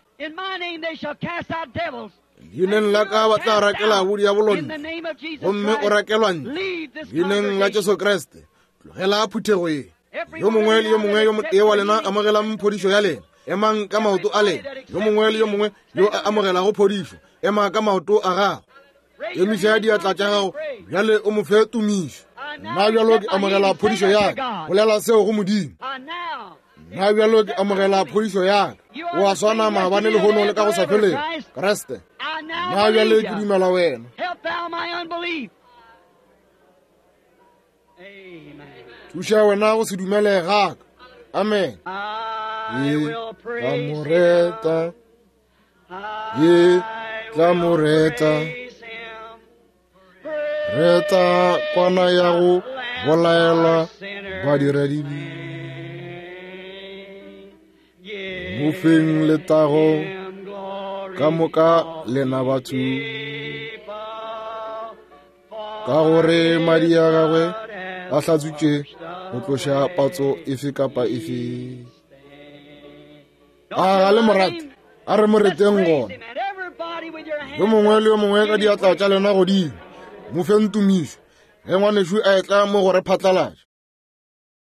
Leineng la ka ba tla rakela bodiabolo ntle, gomme o rakelwa ntle. Leineng la Jesu Kriste, tlogela phuthego ye. Yo mongwe le yo mongwe yo motee wa lena amogelang phodišo ya lena. Emang ka maoto a lena. Yo mongwe le yo mongwe yo a amogelago phodišo, ema ka maoto a gago. Emiša diatla tša gago bjale o mo fe tumišo. Nna bjalo ke amogela phodišo ya ka. Bolela seo go Modimo. Nna bjalo ke amogela phodišo ya ka. O a swana maabane, lehono le ka go sa felego. Kriste, nna bjale ke dumela wena. Thuša wena go se dumele ga ka. Amen. Ye tla mo reta. Ye tla mo reta. Reta kwana ya go bolaelwa badiradibe. Mo feng letago ka moka lena batho. Ka gore madi a gagwe a hlatswitše go tloša patso efe kapa efe. A ga le morate? A re mo reteng gona. Yo mongwe le yo mongwe ka diatla tša lena godimo, mo feng tumišo ge ngwanešu a etla mo go re phatlalatša.